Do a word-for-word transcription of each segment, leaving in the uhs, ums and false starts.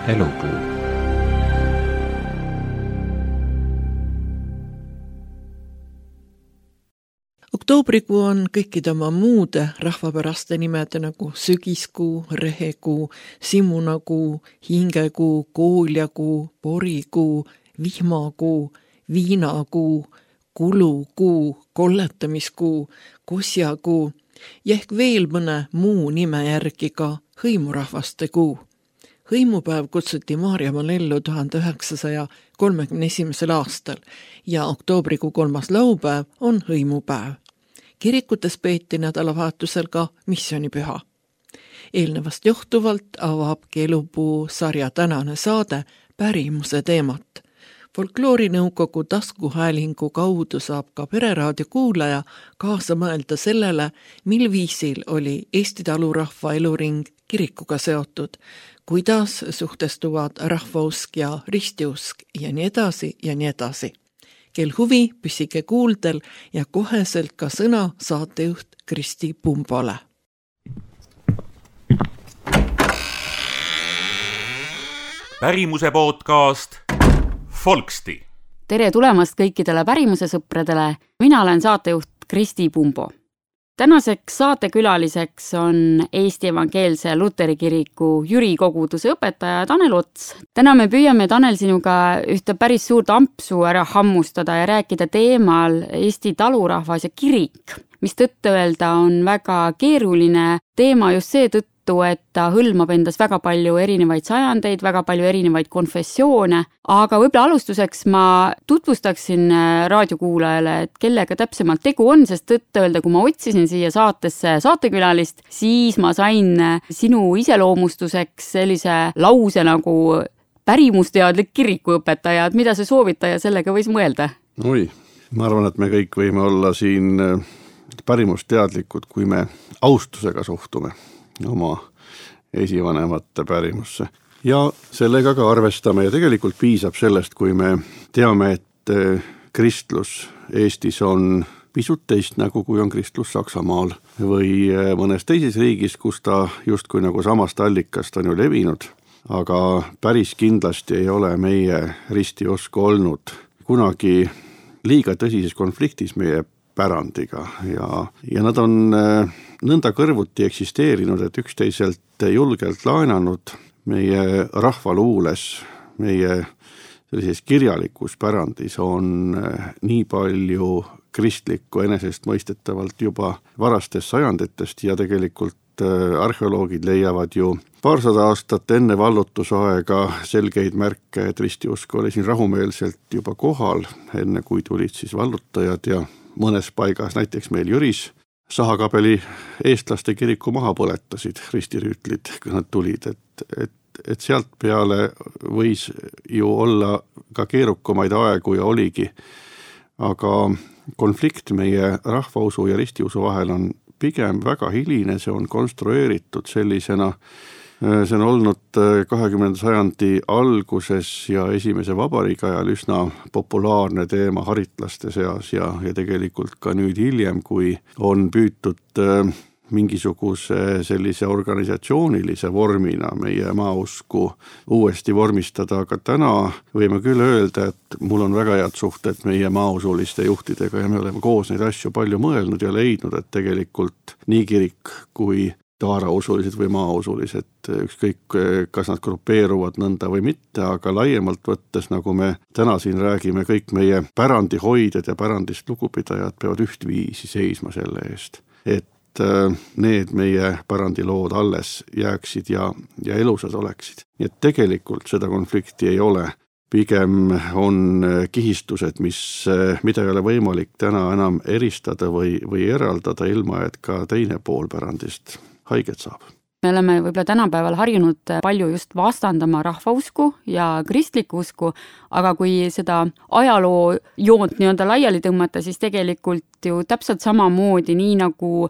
Elupuu. Oktoobrikuu on kõikide oma muude rahvapäraste nimede nagu sügiskuu, rehekuu, simunakuu, hingekuu, kooljakuu, porikuu, vihmakuu, viinakuu, kulukuu, kolletamiskuu, kosjakuu ja ehk veel mõne muu nime järgi ka hõimurahvaste kuu. Hõimupäev kutsuti Maarjamaal ellu tuhande üheksasaja kolmekümne esimesel aastal ja oktoobrikuu kolmas laupäev on hõimupäev. Kirikutes peeti nädalavahetusel ka missioonipüha. Eelnevast johtuvalt avabki Elupuu sarja tänane saade pärimuse teemat. Folkloorinõukogu taskuhäälingu kaudu saab ka Pereraadio kuulaja kaasa mõelda sellele, mil viisil oli Eesti talurahva eluring kirikuga seotud, kuidas suhtestuvad rahvausk ja ristiusk ja nii edasi ja nii edasi. Kel huvi, püsige kuuldel ja koheselt ka sõna saatejuht Kristi Pumbole. Pärimuse podcast Folksti. Tere tulemast kõikidele pärimuse sõpradele. Mina olen saatejuht Kristi Pumbo. Tänaseks saatekülaliseks on Eesti Evangeelse Luteri Kiriku Jüri koguduse õpetaja Tanel Ots. Täna me püüame, Tanel, sinuga ühte päris suurt ampsu ära hammustada ja rääkida teemal Eesti talurahvas ja kirik, mis tõtt öelda on väga keeruline teema just seetõttu, et ta hõlmab endas väga palju erinevaid sajandeid, väga palju erinevaid konfessioone, aga võib-olla alustuseks ma tutvustaksin raadiokuulajale, et kellega täpsemalt tegu on, sest tõtt öelda, kui ma otsisin siia saatesse saatekülalist, siis ma sain sinu iseloomustuseks sellise lause nagu pärimusteadlik kirikuõpetaja, et mida see soovitaja sellega võis mõelda? Oi, ma arvan, et me kõik võime olla siin pärimusteadlikud, kui me austusega suhtume oma esivanemate pärimusse. Ja sellega ka arvestame ja tegelikult piisab sellest, kui me teame, et kristlus Eestis on pisut teist nagu kui on kristlus Saksamaal või mõnes teises riigis, kus ta justkui nagu samast allikast on ju levinud, aga päris kindlasti ei ole meie ristiusk olnud kunagi liiga tõsises konfliktis meie pärandiga ja, ja nad on nõnda kõrvuti eksisteerinud, et üksteiselt julgelt laenanud meie rahvaluules, meie sellises kirjalikus pärandis on nii palju kristlikku enesest mõistetavalt juba varastest sajanditest ja tegelikult arheoloogid leiavad ju paarsada aastat enne vallutusaega selgeid märke, et ristiusk oli siin rahumeelselt juba kohal, enne kui tulid siis vallutajad ja mõnes paigas, näiteks meil Jüris, Sahakabeli eestlaste kiriku maha põletasid ristirüütlid, kui nad tulid, et, et, et sealt peale võis ju olla ka keerukumaid aegu ja oligi. Aga konflikt meie rahvausu ja ristiusu vahel on pigem väga hiline, see on konstrueeritud sellisena, see on olnud kahekümnenda sajandi alguses ja esimese vabariigi ajal üsna populaarne teema haritlaste seas ja, ja tegelikult ka nüüd hiljem, kui on püütud mingisuguse sellise organisatsioonilise vormina meie maausku uuesti vormistada, aga täna võime küll öelda, et mul on väga head suhted meie maausuliste juhtidega ja me oleme koos neid asju palju mõelnud ja leidnud, et tegelikult nii kirik kui taarausulised või maausulised, ükskõik kas nad grupeeruvad nõnda või mitte, aga laiemalt võttes, nagu me täna siin räägime, kõik meie pärandihoidjad ja pärandist lugupidajad peavad ühtviisi seisma selle eest, et need meie pärandilood alles jääksid ja, ja elusad oleksid. Nii et tegelikult seda konflikti ei ole. Pigem on kihistused, mis, mida ei ole võimalik täna enam eristada või, või eraldada ilma, et ka teine pool pärandist haiget saab. Me oleme võib-olla tänapäeval harjunud palju just vastandama rahvausku ja kristlikku usku, aga kui seda ajaloo joont nii-öelda laiali tõmmata, siis tegelikult ju täpselt samamoodi, nii nagu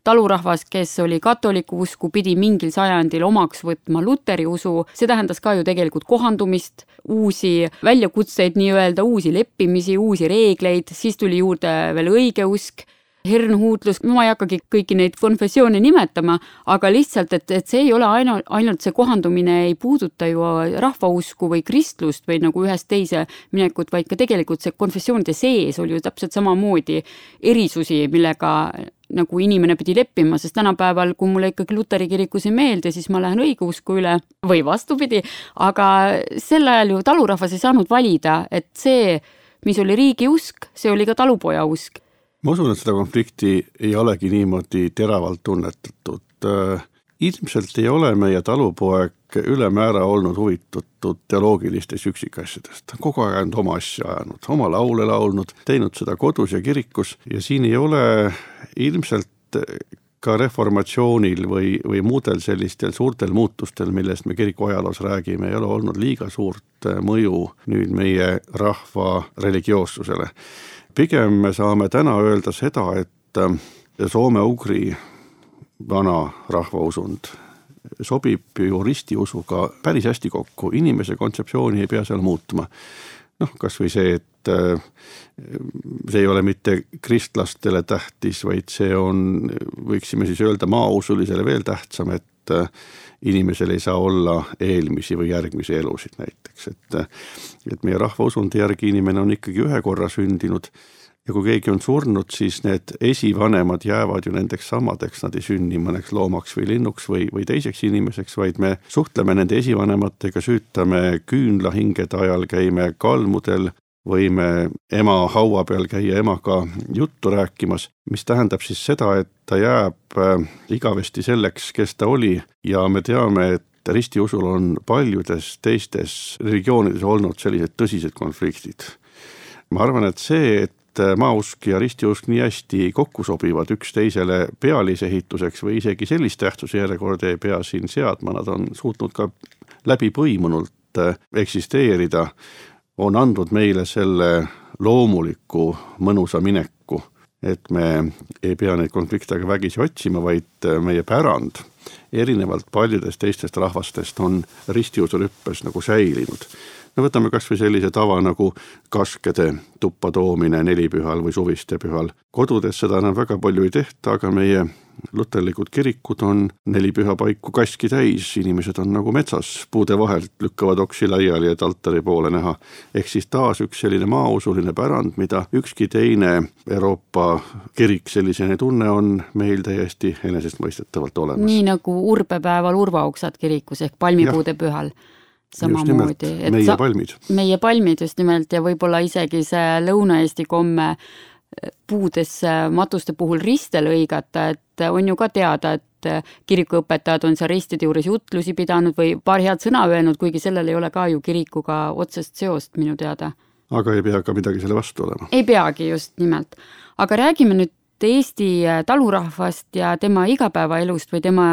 talurahvas, kes oli katoliku usku, pidi mingil sajandil omaks võtma luteri usu, see tähendas ka ju tegelikult kohandumist, uusi väljakutseid nii-öelda, uusi leppimisi, uusi reegleid, siis tuli juurde veel õige usk. hernuhuutlus, ma ei hakkagi kõiki neid konfessioone nimetama, aga lihtsalt, et, et see ei ole ainult, ainult see kohandumine ei puuduta ju rahvausku või kristlust või nagu ühest teise minekut, vaid ka tegelikult see konfessioonide sees oli ju täpselt samamoodi erisusi, millega nagu inimene pidi leppima, sest tänapäeval, kui mulle ikkagi luteri kirikus ei meeldi, siis ma lähen õigeusku üle või vastupidi, aga sel ajal ju talurahvas ei saanud valida, et see, mis oli riigi usk, see oli ka talupoja usk. Ma usun, et seda konflikti ei olegi niimoodi teravalt tunnetatud. Ilmselt ei ole meie talupoeg ülemäära olnud huvitatud teoloogilistest üksikasjadest. Kogu aeg on oma asja ajanud, oma laule laulnud, teinud seda kodus ja kirikus ja siin ei ole ilmselt ka reformatsioonil või, või muudel sellistel suurtel muutustel, millest me kiriku ajaloos räägime, ei ole olnud liiga suurt mõju nüüd meie rahva religioossusele. Pigem me saame täna öelda seda, et soome-ugri vana rahvausund sobib ju ristiusuga päris hästi kokku. Inimese kontseptsiooni ei pea seal muutma. Noh, kas või see, et see ei ole mitte kristlastele tähtis, vaid see on, võiksime siis öelda maausulisele veel tähtsam, et inimesel ei saa olla eelmisi või järgmisi elusid näiteks. Et, et meie rahvausundi järgi inimene on ikkagi ühe korra sündinud ja kui keegi on surnud, siis need esivanemad jäävad ju nendeks samadeks, nad ei sünni mõneks loomaks või linnuks või, või teiseks inimeseks, vaid me suhtleme nende esivanematega, süütame küünlahingede ajal, käime kalmudel, võime ema haua peal käia emaga juttu rääkimas, mis tähendab siis seda, et ta jääb igavesti selleks, kes ta oli ja me teame, et ristiusul on paljudes teistes religioonides olnud sellised tõsised konfliktid. Ma arvan, et see, et maausk ja ristiusk nii hästi kokku sobivad üks teisele pealisehituseks või isegi sellist tähtsuse järjekorda ei pea siin seadma, nad on suutnud ka läbi põimunult eksisteerida, on andnud meile selle loomuliku mõnusa mineku, et me ei pea neid konflikte vägisi otsima, vaid meie pärand erinevalt paljudest teistest rahvastest on ristiusurüppes nagu säilinud. Me võtame kas või sellise tava nagu kaskede tuppa toomine nelipühal või suviste pühal. Kodudes seda enam väga palju ei tehta, aga meie luterlikud kirikud on nelipüha paiku kaski täis, inimesed on nagu metsas, puude vahelt lükkavad oksi laiali, et altari poole näha. Ehk siis taas üks selline maausuline pärand, mida ükski teine Euroopa kirik sellisene tunne on meil täiesti enesest mõistetavalt olemas. Nii nagu urbepäeval urvauksad kirikus ehk palmipuude ja. Pühal. Samamoodi. Et meie sa, palmid. Meie palmid just nimelt ja võib-olla isegi see Lõuna-Eesti komme puudesse matuste puhul riste lõigata, et on ju ka teada, et kirikuõpetajad on seal ristide juures jutlusi pidanud või paar head sõna öelnud, kuigi sellel ei ole ka ju kirikuga otsest seost minu teada. Aga ei pea ka midagi selle vastu olema. Ei peagi just nimelt. Aga räägime nüüd Eesti talurahvast ja tema igapäevaelust või tema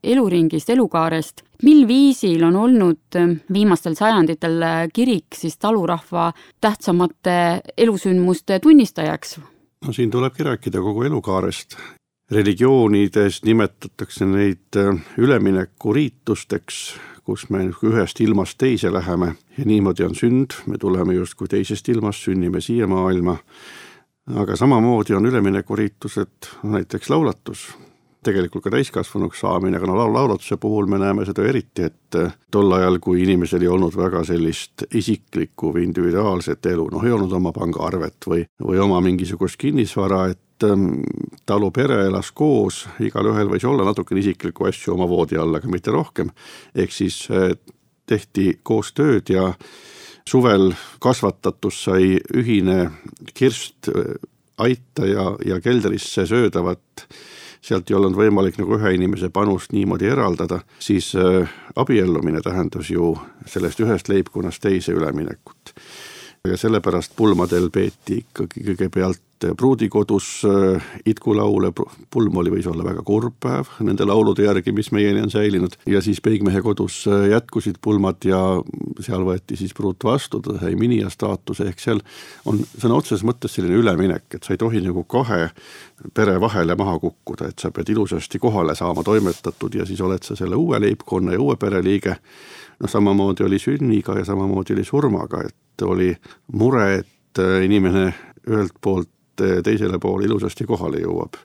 eluringist, elukaarest. Mil viisil on olnud viimastel sajanditel kirik siis talurahva tähtsamate elusündmuste tunnistajaks? No siin tulebki rääkida kogu elukaarest. Religioonides nimetatakse neid üleminekuriitusteks, kus me ühest ilmast teise läheme ja niimoodi on sünd, me tuleme just kui teisest ilmast, sünnime siia maailma. Aga samamoodi on üleminekuriitused näiteks laulatus, tegelikult ka täiskasvanuks saamine, aga no laulatuse puhul me näeme seda eriti, et tol ajal, kui inimesel ei olnud väga sellist isiklikku või individuaalset elu, noh ei olnud oma pangaarvet või, või oma mingisugust kinnisvara, et talu pere elas koos, igal ühel võis olla natuke isiklikku asju oma voodi all, aga mitte rohkem, ehk siis tehti koos tööd ja suvel kasvatatus sai ühine kirst aita ja, ja keldrisse söödavat, sealt ei olnud võimalik nagu ühe inimese panust niimoodi eraldada, siis äh, abiellumine tähendas ju sellest ühest leibkonnast teise üleminekut. Ja sellepärast pulmadel peeti ikkagi kõigepealt pruudikodus itkulaule, pulm oli võis olla väga kurb päev nende laulude järgi, mis meieni on säilinud ja siis peigmehe kodus jätkusid pulmad ja seal võeti siis pruut vastu, ta sai minija staatuse, ehk seal on sõna otseses mõttes selline üleminek, et sa ei tohi nagu kahe pere vahele maha kukkuda, et sa pead ilusasti kohale saama toimetatud ja siis oled sa selle uue leibkonna ja uue pereliige. No samamoodi oli sünniga ja samamoodi oli surmaga, et oli mure, et inimene ühelt poolt teisele poole ilusasti kohale jõuab.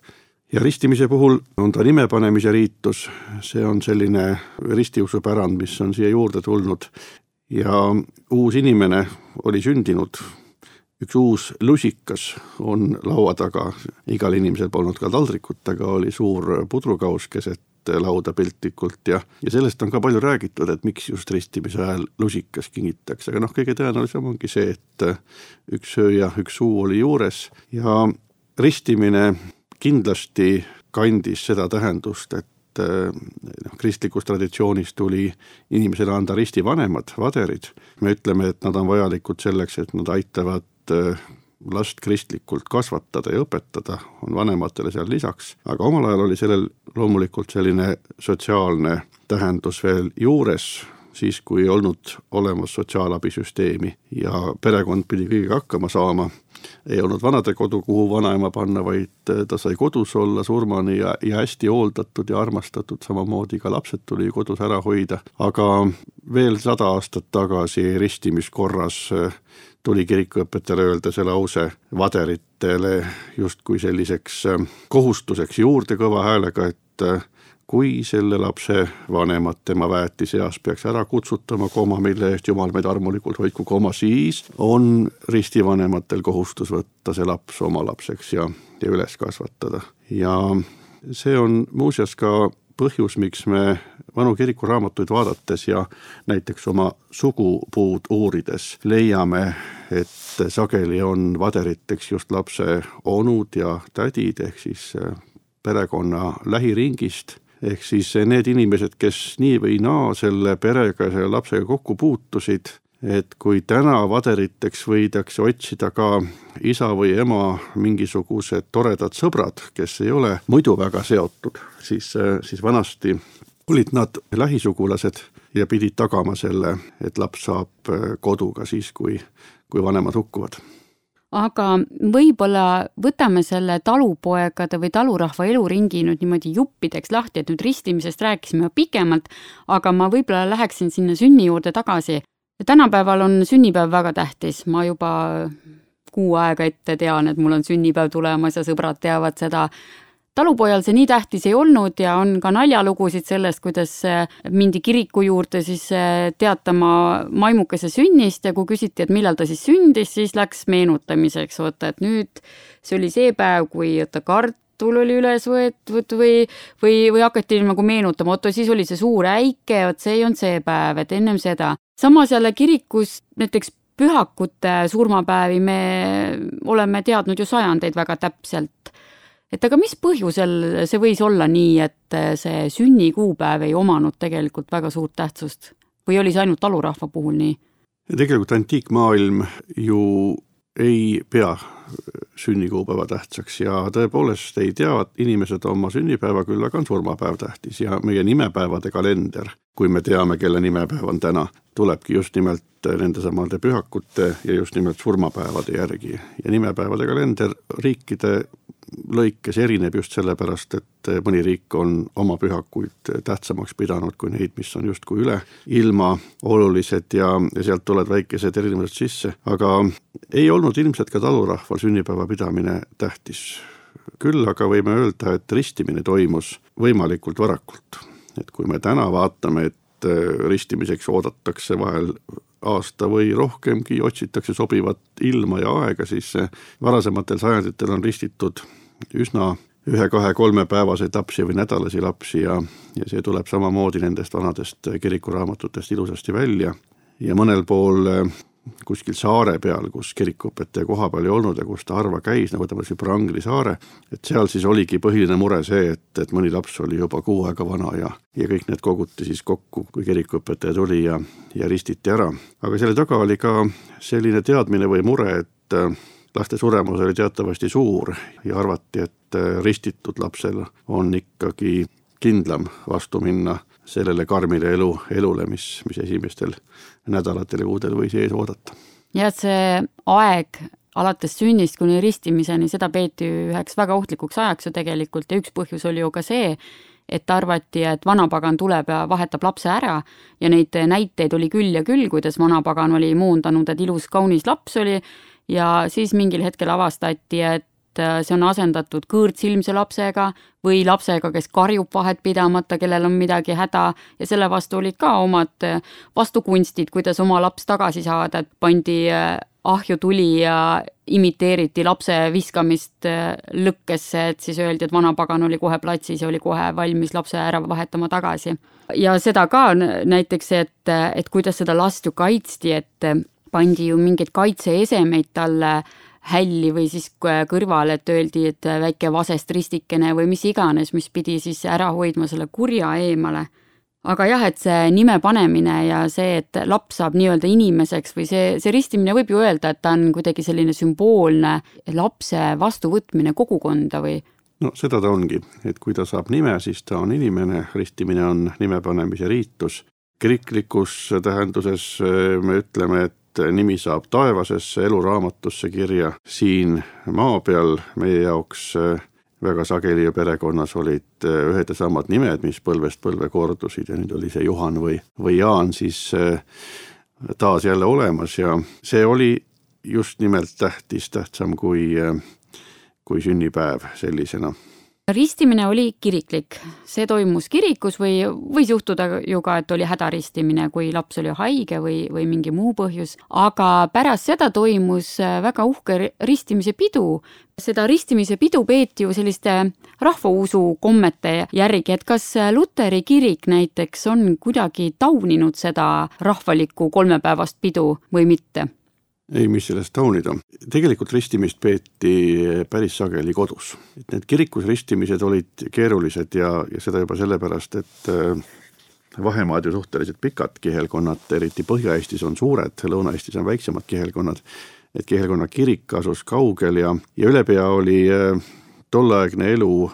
Ja ristimise puhul on ta nimepanemise riitus, see on selline ristiusupärand, mis on siia juurde tulnud ja uus inimene oli sündinud, üks uus lusikas on laua taga, igal inimesel polnud ka taldrikut, aga oli suur pudrukaus keset lauda piltlikult ja, ja sellest on ka palju räägitud, et miks just ristimise ajal lusikas kingitakse, aga noh, kõige tõenäolisem ongi see, et üks söö ja üks suu oli juures ja ristimine kindlasti kandis seda tähendust, et noh, kristlikus traditsioonis tuli inimesele anda ristivanemad, vaderid. Me ütleme, et nad on vajalikud selleks, et nad aitavad last kristlikult kasvatada ja õpetada, on vanematele seal lisaks, aga omal ajal oli sellel loomulikult selline sotsiaalne tähendus veel juures, siis kui ei olnud olemas sotsiaalabisüsteemi ja perekond pidi kõigiga hakkama saama. Ei olnud vanade kodu, kuhu vanaema panna, vaid ta sai kodus olla surmani ja, ja hästi hooldatud ja armastatud, samamoodi ka lapsed tuli kodus ära hoida. Aga veel sada aastat tagasi ristimiskorras tuli kirikuõpetajale öelda see lause vaderitele justkui selliseks kohustuseks juurde kõva häälega, et kui selle lapse vanemad tema väetiseas peaks ära kutsutama koma, mille eest Jumal meid armulikult hoidku koma, siis on ristivanematel kohustus võtta see laps oma lapseks ja, ja üles kasvatada. Ja see on muuseas ka põhjus, miks me vanu kirikuraamatuid vaadates ja näiteks oma sugupuud uurides leiame, et sageli on vaderiteks just lapse onud ja tädid ehk siis perekonna lähiringist. Ehk siis need inimesed, kes nii või naa selle perega ja selle lapsega kokku puutusid, et kui täna vaderiteks võidakse otsida ka isa või ema mingisugused toredad sõbrad, kes ei ole muidu väga seotud, siis, siis vanasti olid nad lähisugulased ja pidid tagama selle, et laps saab koduga siis, kui, kui vanemad hukkuvad. Aga võib-olla võtame selle talupoegade või talurahva eluringi nüüd niimoodi juppideks lahti, et nüüd ristimisest rääkisime pikemalt, aga ma võib-olla läheksin sinna sünni juurde tagasi. Tänapäeval on sünnipäev väga tähtis, ma juba kuu aega ette tean, et mul on sünnipäev tulemas ja sõbrad teavad seda. Talupojal see nii tähtis ei olnud ja on ka naljalugusid sellest, kuidas mindi kiriku juurde siis teatama maimukese sünnist ja kui küsiti, et millal ta siis sündis, siis läks meenutamiseks, oota, et nüüd see oli see päev, kui oota, kartul oli üles võetud või, või, või hakati nagu meenutama, oota, siis oli see suur äike, oot, see ei olnud see päev, et ennem seda. Samas jälle kirikus näiteks pühakute surmapäevi me oleme teadnud ju sajandeid väga täpselt. Et aga mis põhjusel see võis olla nii, et see sünnikuupäev ei omanud tegelikult väga suurt tähtsust? Või oli see ainult talurahva puhul nii? Ja tegelikult antiikmaailm ju ei pea sünnikuupäeva tähtsaks ja tõepoolest ei tea inimesed oma sünnipäeva, küll aga on surmapäev tähtis ja meie nimepäevade kalender, kui me teame, kelle nimepäev on täna, tulebki just nimelt nende samade pühakute ja just nimelt surmapäevade järgi. Ja nimepäevade kalender riikide lõikes erineb just sellepärast, et mõni riik on oma pühakuid tähtsamaks pidanud kui neid, mis on justkui üle ilma olulised ja, ja sealt tulevad väikesed erinevused sisse. Aga ei olnud ilmselt ka talurahval sünnipäeva pidamine tähtis. Küll aga võime öelda, et ristimine toimus võimalikult varakult. Et kui me täna vaatame, et ristimiseks oodatakse vahel aasta või rohkemgi, otsitakse sobivat ilma ja aega, siis varasematel sajanditel on ristitud üsna ühe, kahe, kolme päevaseid lapsi või nädalasi lapsi ja, ja see tuleb samamoodi nendest vanadest kirikuraamatutest ilusasti välja. Ja mõnel pool kuskil saare peal, kus kirikuõpetaja koha peal ei olnud ja kus ta harva käis, nagu võtame see Prangli saare, et seal siis oligi põhiline mure see, et, et mõni laps oli juba kuu aega vana ja, ja kõik need koguti siis kokku, kui kirikuõpetaja tuli ja, ja ristiti ära. Aga selle taga oli ka selline teadmine või mure, et laste suremus oli teatavasti suur ja arvati, et ristitud lapsel on ikkagi kindlam vastu minna sellele karmile elu, elule, mis, mis esimestel nädalatel ja kuudel võis ees oodata. Ja see aeg alates sünnist kuni ristimiseni, seda peeti üheks väga ohtlikuks ajaks ju tegelikult ja üks põhjus oli ju ka see, et arvati, et vanapagan tuleb ja vahetab lapse ära ja neid näiteid oli küll ja küll, kuidas vanapagan oli muundanud, et ilus kaunis laps oli ja siis mingil hetkel avastati, et see on asendatud kõõrtsilmse lapsega või lapsega, kes karjub vahet pidamata, kellel on midagi häda ja selle vastu olid ka omad vastukunstid, kuidas oma laps tagasi saada, et pandi ahju tuli ja imiteeriti lapse viskamist lõkkesse, et siis öeldi, et vanapagan oli kohe platsis ja oli kohe valmis lapse ära vahetama tagasi. Ja seda ka näiteks, et, et kuidas seda last ju kaitsti, et pandi ju mingeid kaitseesemeid talle hälli või siis kõrval, et öeldi, et väike vasest ristikene või mis iganes, mis pidi siis ära hoidma selle kurja eemale. Aga jah, et see nime panemine ja see, et laps saab nii-öelda inimeseks või see, see ristimine võib ju öelda, et ta on kuidagi selline sümboolne lapse vastuvõtmine kogukonda või? No seda ta ongi, et kui ta saab nime, siis ta on inimene, ristimine on nime panemise riitus. Kiriklikus tähenduses me ütleme, et nimi saab taevasesse eluraamatusse kirja. Siin maa peal meie jaoks väga sageli ja perekonnas olid ühed ja samad nimed, mis põlvest põlve kordusid ja nüüd oli see Juhan või, või Jaan siis taas jälle olemas ja see oli just nimelt tähtis, tähtsam kui, kui sünnipäev sellisena. Ristimine oli kiriklik. See toimus kirikus või võis juhtuda ju ka, et oli hädaristimine, kui laps oli haige või, või mingi muu põhjus. Aga pärast seda toimus väga uhke ristimise pidu. Seda ristimise pidu peeti ju selliste rahvausu kommete järgi, et kas Luteri kirik näiteks on kuidagi tauninud seda rahvalikku kolmepäevast pidu või mitte? Ei, mis sellest taunida. Tegelikult ristimist peeti päris sageli kodus. Et need kirikus ristimised olid keerulised ja, ja seda juba sellepärast, et vahemaad ju suhteliselt pikad kihelkonnad, eriti Põhja-Eestis on suured, Lõuna-Eestis on väiksemad kihelkonnad, et kihelkonna kirik asus kaugel ja, ja ülepea oli tolleaegne elu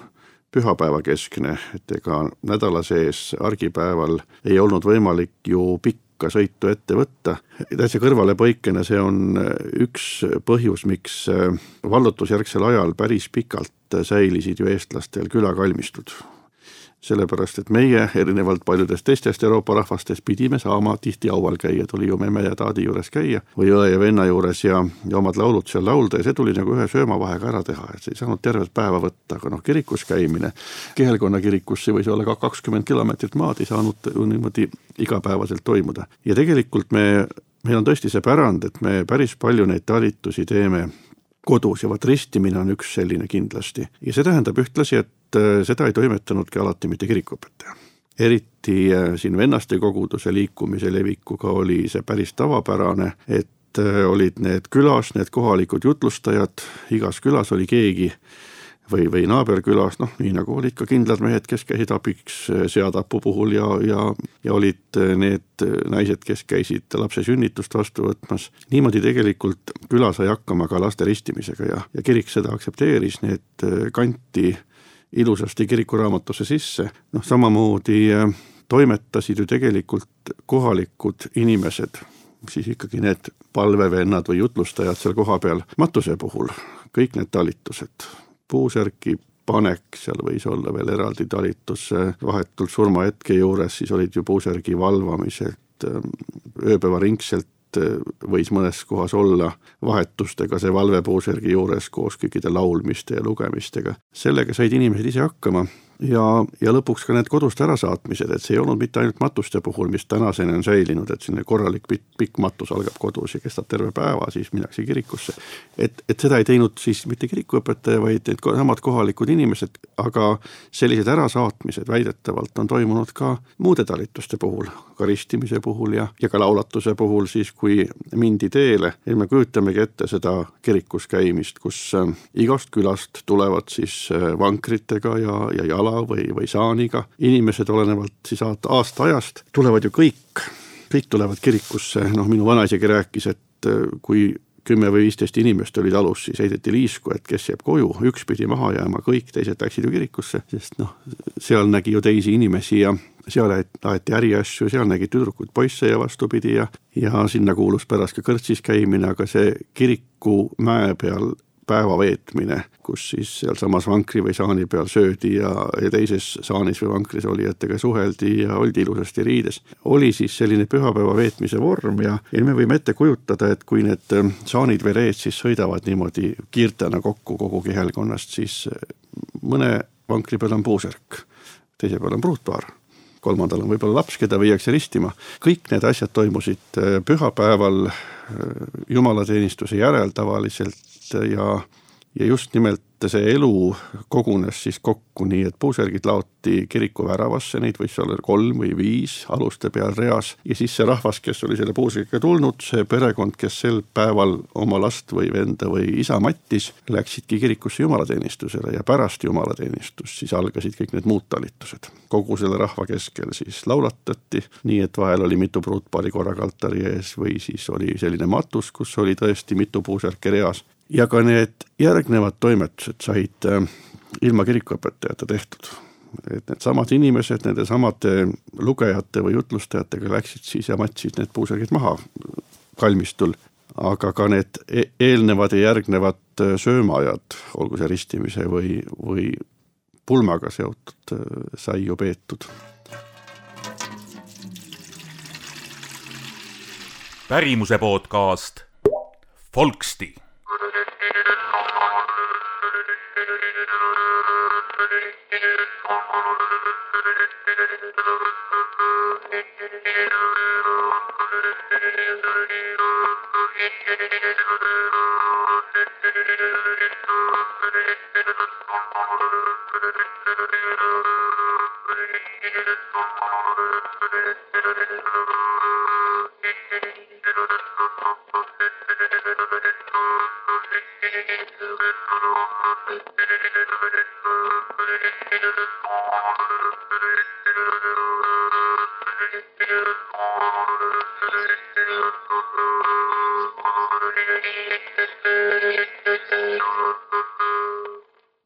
pühapäeva keskne, et ega nädala sees argipäeval ei olnud võimalik ju pikk sõitu ette võtta. Täitsa kõrvale põikena see on üks põhjus, miks vallutusjärgsel ajal päris pikalt säilisid ju eestlastel külakalmistud. Sellepärast, et meie erinevalt paljudest teistest Euroopa rahvastest pidime saama tihti aual käia, tuli ju memme ja taadi juures käia või õe ja venna juures ja, ja omad laulud seal laulda ja see tuli nagu ühe söömavahega ära teha, et see ei saanud tervet päeva võtta, aga noh, kirikus käimine, Kihelkonna kirikusse võis olla ka kakskümmend kilomeetrit maad, ei saanud ju niimoodi igapäevaselt toimuda. Ja tegelikult me, meil on tõesti see pärand, et me päris palju neid talitusi teeme kodus ja vaat ristimine on üks selline kindlasti. Ja see tähendab ühtlasi, et seda ei toimetanudki alati mitte kirikuõpetaja. Eriti siin vennaste koguduse liikumise levikuga oli see päris tavapärane, et olid need külas, need kohalikud jutlustajad, igas külas oli keegi või, või naaberkülas, noh, nii nagu olid ka kindlad mehed, kes käisid abiks seatapu puhul ja, ja, ja olid need naised, kes käisid lapse sünnitust vastu võtmas. Niimoodi tegelikult küla sai hakkama ka laste ristimisega ja, ja kirik seda aktsepteeris, need kanti ilusasti kirikuraamatusse sisse. Noh, samamoodi toimetasid ju tegelikult kohalikud inimesed, siis ikkagi need palvevennad või jutlustajad seal koha peal matuse puhul, kõik need talitused, puusärki panek, seal võis olla veel eraldi talitus vahetult surmahetke juures, siis olid ju puusärgi valvamiselt, ööpäeva ringselt võis mõnes kohas olla vahetustega see valvepuusärgi juures koos kõikide laulmiste ja lugemistega. Sellega said inimesed ise hakkama ja, ja lõpuks ka need kodust ärasaatmised, et see ei olnud mitte ainult matuste puhul, mis tänaseni on säilinud, et selline korralik pikk, pikk matus algab kodus ja kestab terve päeva, siis minnakse kirikusse. Et, et seda ei teinud siis mitte kirikuõpetaja, vaid need samad kohalikud inimesed, aga sellised ärasaatmised väidetavalt on toimunud ka muude talituste puhul, ka ristimise puhul ja, ja ka laulatuse puhul siis, kui mindi teele. Ja me kujutamegi ette seda kirikus käimist, kus igast külast tulevad siis vankritega ja, ja jala või, või saaniga. Inimesed olenevalt siis aasta ajast tulevad ju kõik, kõik tulevad kirikusse. Noh, minu vanaisegi rääkis, et kui kümme või viisteist inimest olid alus, siis heideti liisku, et kes jääb koju, üks pidi maha jääma, kõik teised läksid ju kirikusse, sest noh, seal nägi ju teisi inimesi ja seal aeti äriasju, seal nägi tüdrukud poisse ja vastupidi ja, ja sinna kuulus pärast ka kõrtsis käimine, aga see kiriku mäe peal päeva veetmine, kus siis seal samas vankri või saani peal söödi ja, ja teises saanis või vankris olijatega suheldi ja oldi ilusasti riides. Oli siis selline pühapäeva veetmise vorm ja, ja me võime ette kujutada, et kui need saanid või reed siis sõidavad niimoodi kiirtena kokku kogu kihelkonnast, siis mõne vankri peal on puusärk, teise peal on pruutpaar, kolmandal on võib-olla laps, keda viiakse ristima. Kõik need asjad toimusid pühapäeval jumalateenistuse järel tavaliselt ja, ja just nimelt see elu kogunes siis kokku nii, et puusärgid laoti kiriku väravasse, neid võis olla kolm või viis aluste peal reas ja siis see rahvas, kes oli selle puusärgiga tulnud, see perekond, kes sel päeval oma last või venda või isa mattis, läksidki kirikusse jumalateenistusele ja pärast jumalateenistust siis algasid kõik need muud talitused. Kogu selle rahva keskel siis laulatati, nii et vahel oli mitu pruutpaari korraga altari ees või siis oli selline matus, kus oli tõesti mitu puusärki reas. Ja ka need järgnevad toimetused said ilma kirikuõpetajate tehtud. Et need samad inimesed, nende samade lugejate või jutlustajatega läksid siis ja matsid need puusärgid maha kalmistul. Aga ka need eelnevad ja järgnevad söömaajad, olgu see ristimise või, või pulmaga seotud, sai ju peetud. Pärimuse podcast Folksti.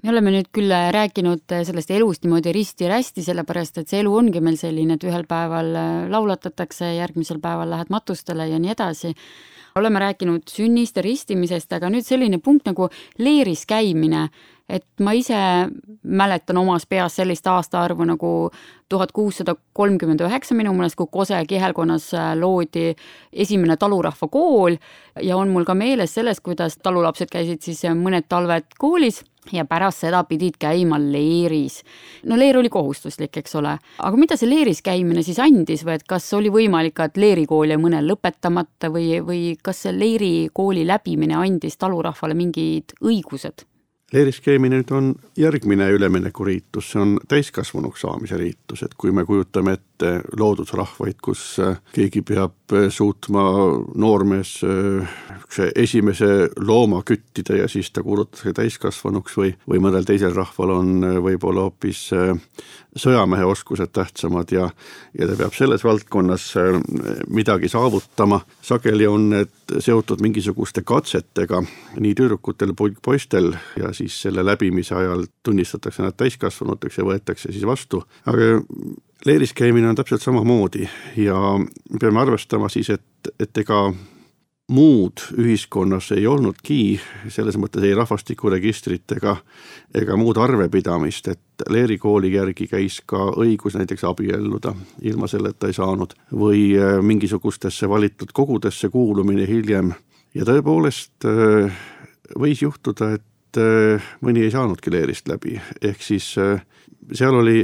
Me oleme nüüd küll rääkinud sellest elust niimoodi risti-rästi, sellepärast, et see elu ongi meil selline, et ühel päeval laulatatakse, järgmisel päeval lähed matustele ja nii edasi. Oleme rääkinud sünnist ja ristimisest, aga nüüd selline punkt nagu leeris käimine, et ma ise mäletan omas peas sellist aastaarvu nagu tuhat kuussada kolmkümmend üheksa minu mõnest, kui Kose kihelkonnas loodi esimene talurahva kool ja on mul ka meeles sellest, kuidas talulapsed käisid siis mõned talved koolis ja pärast seda pidid käima leeris. No leer oli kohustuslik, eks ole. Aga mida see leeris käimine siis andis või et kas oli võimalik, et leerikool jäi mõnel lõpetamata või, või kas see leerikooli läbimine andis talurahvale mingid õigused? Leeris käimine nüüd on järgmine üleminekuriitus, see on täiskasvanuks saamise riitus, et kui me kujutame ette loodusrahvaid, kus keegi peab suutma noormees esimese looma küttida ja siis ta kuulutatakse täiskasvanuks või, või mõnel teisel rahval on võib-olla hoopis sõjamehe oskused tähtsamad ja, ja ta peab selles valdkonnas midagi saavutama. Sageli on need seotud mingisuguste katsetega nii tüdrukutel kui poistel ja siis selle läbimise ajal tunnistatakse nad täiskasvanuteks ja võetakse siis vastu. Aga leeris käimine on täpselt samamoodi ja peame arvestama siis, et, et ega muud ühiskonnas ei olnudki, selles mõttes ei rahvastikuregistrit ega, ega muud arvepidamist, et leerikooli järgi käis ka õigus näiteks abielluda, ilma selleta ei saanud, või mingisugustesse valitud kogudesse kuulumine hiljem. Ja tõepoolest võis juhtuda, et mõni ei saanudki leerist läbi, ehk siis seal oli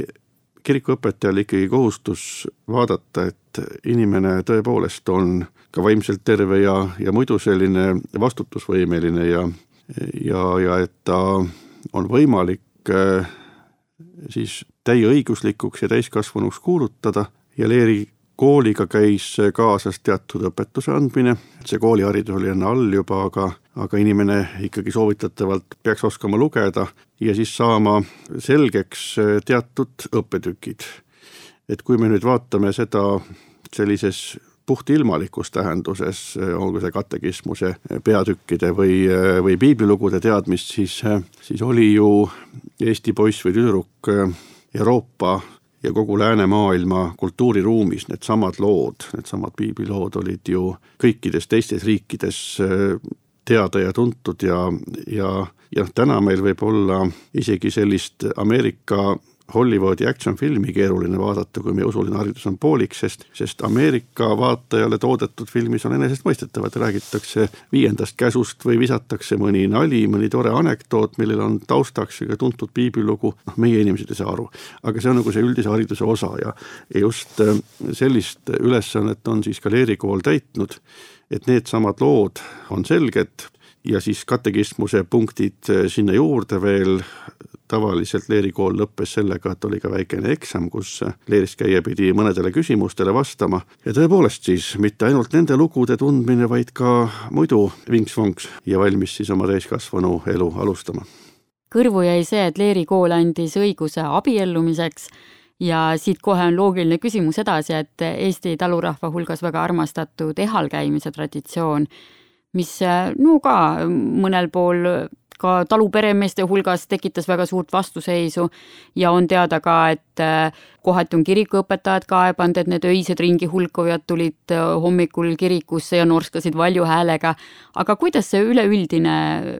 kirikuõpetajal ikkagi kohustus vaadata, et inimene tõepoolest on ka vaimselt terve ja, ja muidu selline vastutusvõimeline ja, ja, ja et ta on võimalik äh, siis täieõiguslikuks ja täiskasvanuks kuulutada ja leeri kooliga käis kaasas teatud õpetuse andmine. See kooliharidus oli enne all juba, aga, aga inimene ikkagi soovitatavalt peaks oskama lugeda ja siis saama selgeks teatud õppetükid. Et kui me nüüd vaatame seda sellises puhtilmalikus tähenduses, olgu see katekismuse peatükkide või, või piiblilugude teadmist, siis, siis oli ju Eesti poiss või tüdruk Euroopa ja kogu läänemaailma kultuuriruumis need samad lood, need samad piiblilood olid ju kõikides teistes riikides teada ja tuntud ja, ja, ja täna meil võib olla isegi sellist Ameerika Hollywoodi action-filmi keeruline vaadata, kui meie usuline haridus on pooliks, sest, sest Ameerika vaatajale toodetud filmis on enesest mõistetav, et räägitakse viiendast käsust või visatakse mõni nali, mõni tore anekdoot, millel on taustaks ja tuntud piiblilugu, noh, meie inimesed ei saa aru. Aga see on nagu see üldise hariduse osa ja just sellist ülesannet on siis ka leerikool täitnud, et need samad lood on selged ja siis katekismuse punktid sinna juurde veel. Tavaliselt leerikool lõppes sellega, et oli ka väikene eksam, kus leeris käia pidi mõnedele küsimustele vastama. Ja tõepoolest siis mitte ainult nende lugude tundmine, vaid ka muidu vinks-vonks ja valmis siis oma täiskasvanu elu alustama. Kõrvu jäi see, et leerikool andis õiguse abiellumiseks ja siit kohe on loogiline küsimus edasi, et Eesti talurahva hulgas väga armastatud ehalkäimise traditsioon, mis no ka mõnel pool ka taluperemeeste hulgas tekitas väga suurt vastuseisu ja on teada ka, et kohati on kirikuõpetajad kaebanud, et need öised ringi hulkujad tulid hommikul kirikusse ja norskasid valju häälega. Aga kuidas see üleüldine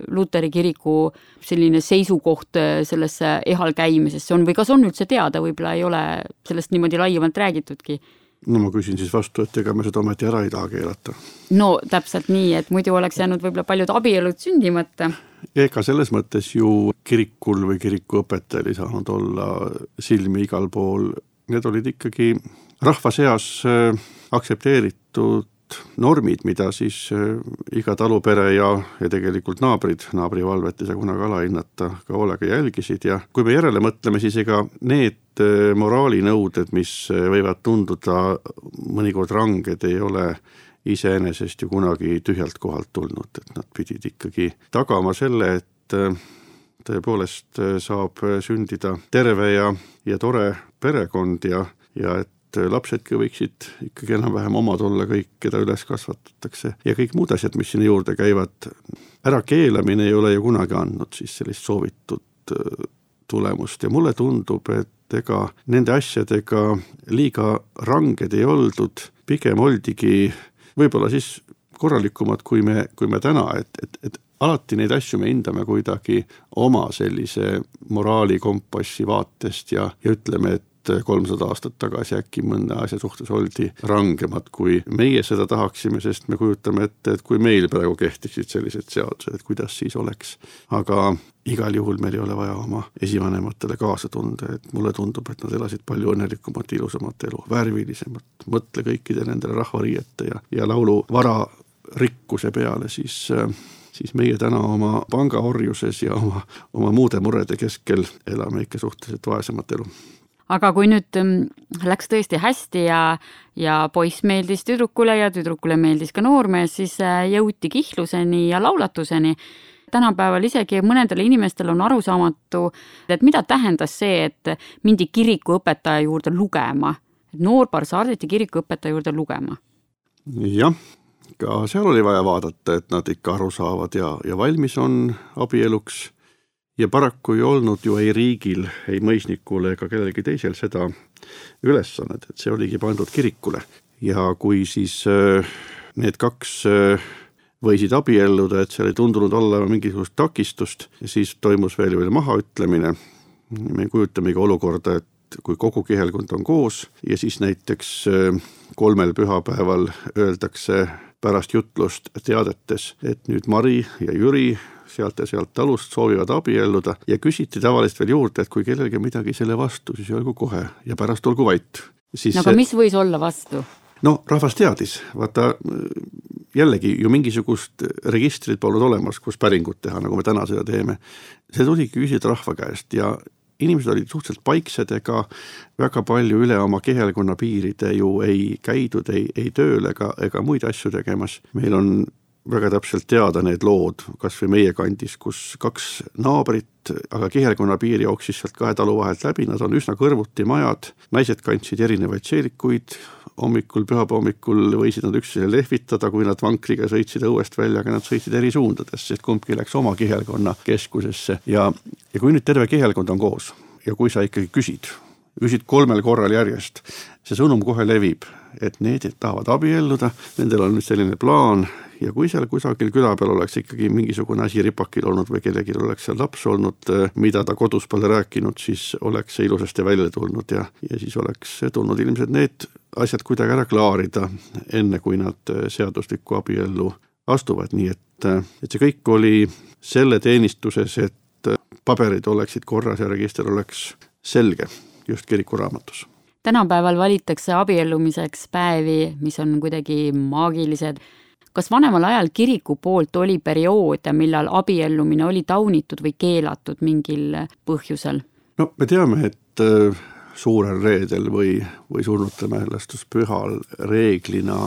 Luteri kiriku selline seisukoht sellesse ehal käimisesse on või kas on üldse teada, võib-olla ei ole sellest niimoodi laiemalt räägitudki? No ma küsin siis vastu, et ega me seda ometi ära ei taha keelata. No täpselt nii, et muidu oleks jäänud võib-olla paljud abielud sündimata. Ega selles mõttes ju kirikul või kirikuõpetajal ei saanud olla silmi igal pool. Need olid ikkagi rahva seas aktsepteeritud normid, mida siis iga talupere ja, ja tegelikult naabrid, naabrivalvet ei saa kunagi alahinnata, ka hoolega jälgisid ja kui me järele mõtleme, siis ega need moraalinõuded, mis võivad tunduda mõnikord ranged, ei ole iseenesest ju kunagi tühjalt kohalt tulnud, et nad pidid ikkagi tagama selle, et tõepoolest saab sündida terve ja, ja tore perekond ja, ja et lapsedki võiksid ikkagi enam-vähem omad olla kõik, keda üles kasvatatakse ja kõik muud asjad, mis sinna juurde käivad. Ära keelamine ei ole ju kunagi andnud siis sellist soovitud tulemust ja mulle tundub, et ega nende asjadega liiga ranged ei oldud, pigem oldigi võib-olla siis korralikumad kui me, kui me täna, et, et, et alati neid asju me hindame kuidagi oma sellise moraali kompassi vaatest ja, ja ütleme, et kolmsada aastat tagasi äkki mõnda asja suhtes oldi rangemad, kui meie seda tahaksime, sest me kujutame ette, et kui meil praegu kehtiksid sellised seadused, et kuidas siis oleks. Aga igal juhul meil ei ole vaja oma esivanematele kaasa tunda, et mulle tundub, et nad elasid palju õnnelikumat, ilusamat elu, värvilisemat, mõtle kõikide nendele rahvariiete ja, ja laulu vara rikkuse peale, siis, siis meie täna oma pangaorjuses ja oma, oma muude murede keskel elame ikka suhteliselt vaesemat elu. Aga kui nüüd läks tõesti hästi ja, ja poiss meeldis tüdrukule ja tüdrukule meeldis ka noormees, siis jõuti kihluseni ja laulatuseni. Tänapäeval isegi mõnedele inimestel on arusaamatu, et mida tähendas see, et mindi kirikuõpetaja juurde lugema. Noorpar saadeti kirikuõpetaja juurde lugema. Jah, ka seal oli vaja vaadata, et nad ikka aru saavad ja, ja valmis on abieluks. Ja paraku ei olnud ju ei riigil, ei mõisnikule ega kellelgi teisel seda ülesannet, et see oligi pandud kirikule. Ja kui siis need kaks võisid abielluda, et seal ei tundunud olla mingisugust takistust, siis toimus veel veel mahaütlemine. Me kujutamegi olukorda, et kui kogu kihelkond on koos ja siis näiteks kolmel pühapäeval öeldakse pärast jutlust teadetes, et nüüd Mari ja Jüri sealt ja sealt talust soovivad abielluda ja küsiti tavaliselt veel juurde, et kui kellelgi midagi selle vastu, siis olgu kohe ja pärast olgu vait. Siis no aga mis võis olla vastu? No rahvas teadis, vaata jällegi ju mingisugust registrit polnud olemas, kus päringut teha, nagu me täna seda teeme. See tuligi küsida rahva käest ja inimesed olid suhteliselt paiksed ega väga palju üle oma kehelkonna piiride ju ei käidud, ei, ei tööl ega, ega muid asju tegemas. Meil on väga täpselt teada need lood, kas või meie kandis, kus kaks naabrit, aga kihelkonna piir jooksis sealt kahe talu vahelt läbi, nad on üsna kõrvuti majad, naised kandsid erinevaid seelikuid, hommikul, pühapa hommikul võisid nad üksteisele lehvitada, kui nad vankriga sõitsid õuest välja, aga nad sõitsid eri suundades, sest kumbki läks oma kihelkonna keskusesse ja, ja kui nüüd terve kihelkond on koos ja kui sa ikkagi küsid küsid kolmel korral järjest, see sõnum kohe levib, et need tahavad abielluda, nendel on nüüd selline plaan ja kui seal kusagil küla peal oleks ikkagi mingisugune asi ripakil olnud või kellelgi oleks seal laps olnud, mida ta kodus pole rääkinud, siis oleks see ilusasti välja tulnud ja, ja siis oleks tulnud ilmselt need asjad kuidagi ära klaarida, enne kui nad seaduslikku abiellu astuvad, nii et, et see kõik oli selle teenistuses, et paberid oleksid korras ja register oleks selge just kirikuraamatus. Tänapäeval valitakse abiellumiseks päevi, mis on kuidagi maagilised. Kas vanemal ajal kiriku poolt oli perioode, millal abiellumine oli taunitud või keelatud mingil põhjusel? No me teame, et suurel reedel või, või surnute mälestuspühal reeglina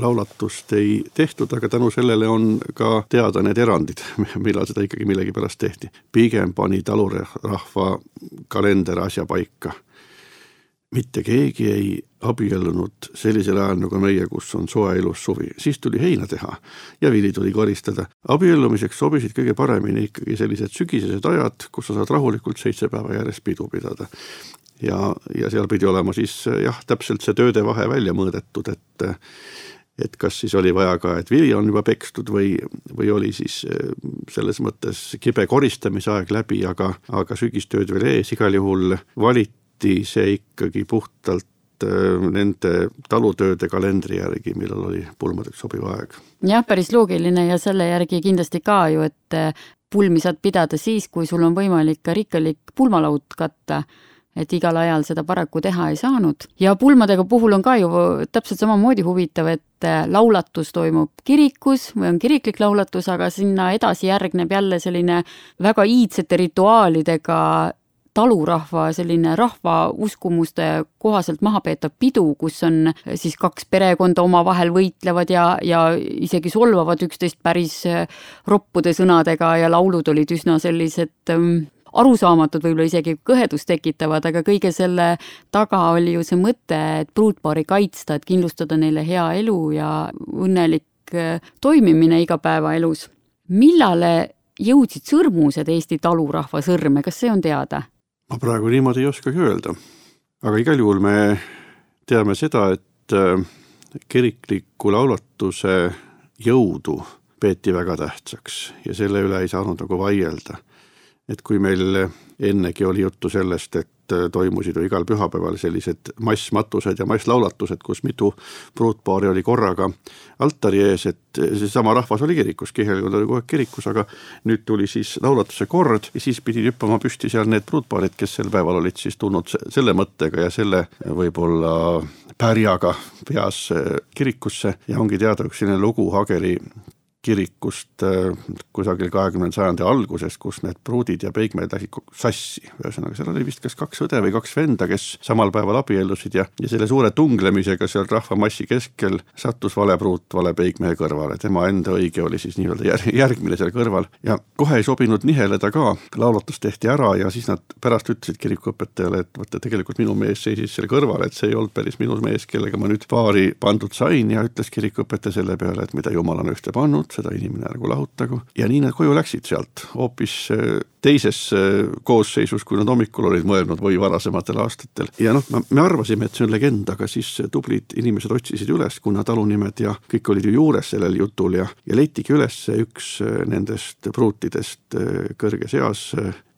laulatust ei tehtud, aga tänu sellele on ka teada need erandid, millal seda ikkagi millegi pärast tehti. Pigem pani talurahva kalender asja paika. Mitte keegi ei abiellunud sellisel ajal nagu meie, kus on soe ilus suvi. Siis tuli heina teha ja vili tuli koristada. Abiellumiseks sobisid kõige paremini ikkagi sellised sügisesed ajad, kus sa saad rahulikult seitse päeva järjest pidu pidada. Ja, ja seal pidi olema siis jah, täpselt see tööde vahe välja mõõdetud, et, et kas siis oli vaja ka, et vili on juba pekstud või, või oli siis selles mõttes kibe koristamise aeg läbi, aga, aga sügistööd veel ees, igal juhul valiti see ikkagi puhtalt nende talutööde kalendri järgi, millal oli pulmadeks sobiv aeg. Jah, päris loogiline ja selle järgi kindlasti ka ju, et pulmi saad pidada siis, kui sul on võimalik ka rikkalik pulmalaud katta, et igal ajal seda paraku teha ei saanud. Ja pulmadega puhul on ka ju täpselt samamoodi huvitav, et laulatus toimub kirikus või on kiriklik laulatus, aga sinna edasi järgneb jälle selline väga iidsete rituaalidega talurahva selline rahva uskumuste kohaselt maha peetav pidu, kus on siis kaks perekonda omavahel võitlevad ja, ja isegi solvavad üksteist päris roppude sõnadega ja laulud olid üsna sellised um, arusaamatud, võib-olla isegi kõhedust tekitavad, aga kõige selle taga oli ju see mõte, et pruutpaari kaitsta, et kindlustada neile hea elu ja õnnelik toimimine igapäevaelus. Millale jõudsid sõrmused Eesti talurahva sõrme, kas see on teada? Ma praegu niimoodi ei oskagi öelda, aga igal juhul me teame seda, et kirikliku laulatuse jõudu peeti väga tähtsaks ja selle üle ei saanud nagu vaielda. Et kui meil ennegi oli juttu sellest, et toimusid ju igal pühapäeval sellised massmatused ja masslaulatused, kus mitu pruutpaari oli korraga altari ees, et see sama rahvas oli kirikus, kihelkond oli kogu aeg kirikus, aga nüüd tuli siis laulatuse kord ja siis pidi hüppama püsti seal need pruutpaarid, kes sel päeval olid siis tulnud selle mõttega ja selle võib-olla pärjaga peas kirikusse ja ongi teada üks selline lugu Hageri kirikust kusagil kahekümnenda sajandi algusest, kus need pruudid ja peigmeed läksid sassi. Ühesõnaga, seal oli vist kas kaks õde või kaks venda, kes samal päeval abiellusid ja, ja selle suure tunglemisega seal rahvamassi keskel sattus vale pruut vale peigmehe kõrvale. Tema enda õige oli siis nii-öelda järgmine seal kõrval ja kohe ei sobinud niheleda ka. Laulatus tehti ära ja siis nad pärast ütlesid kirikuõpetajale, et võtta, tegelikult minu mees seisis seal kõrval, et see ei olnud päris minu mees, kellega ma nüüd paari pandud sain ja ütles kirikuõpetaja selle peale, et mida Jumal on ühte pannud, seda inimene nagu lahutagu. Ja nii nad koju läksid sealt hoopis teises koosseisus, kui nad hommikul olid mõelnud või varasematel aastatel. Ja noh, me arvasime, et see on legend, aga siis tublid inimesed otsisid üles, kuna talunimed ja kõik olid ju juures sellel jutul ja, ja leitigi üles üks nendest pruutidest kõrges eas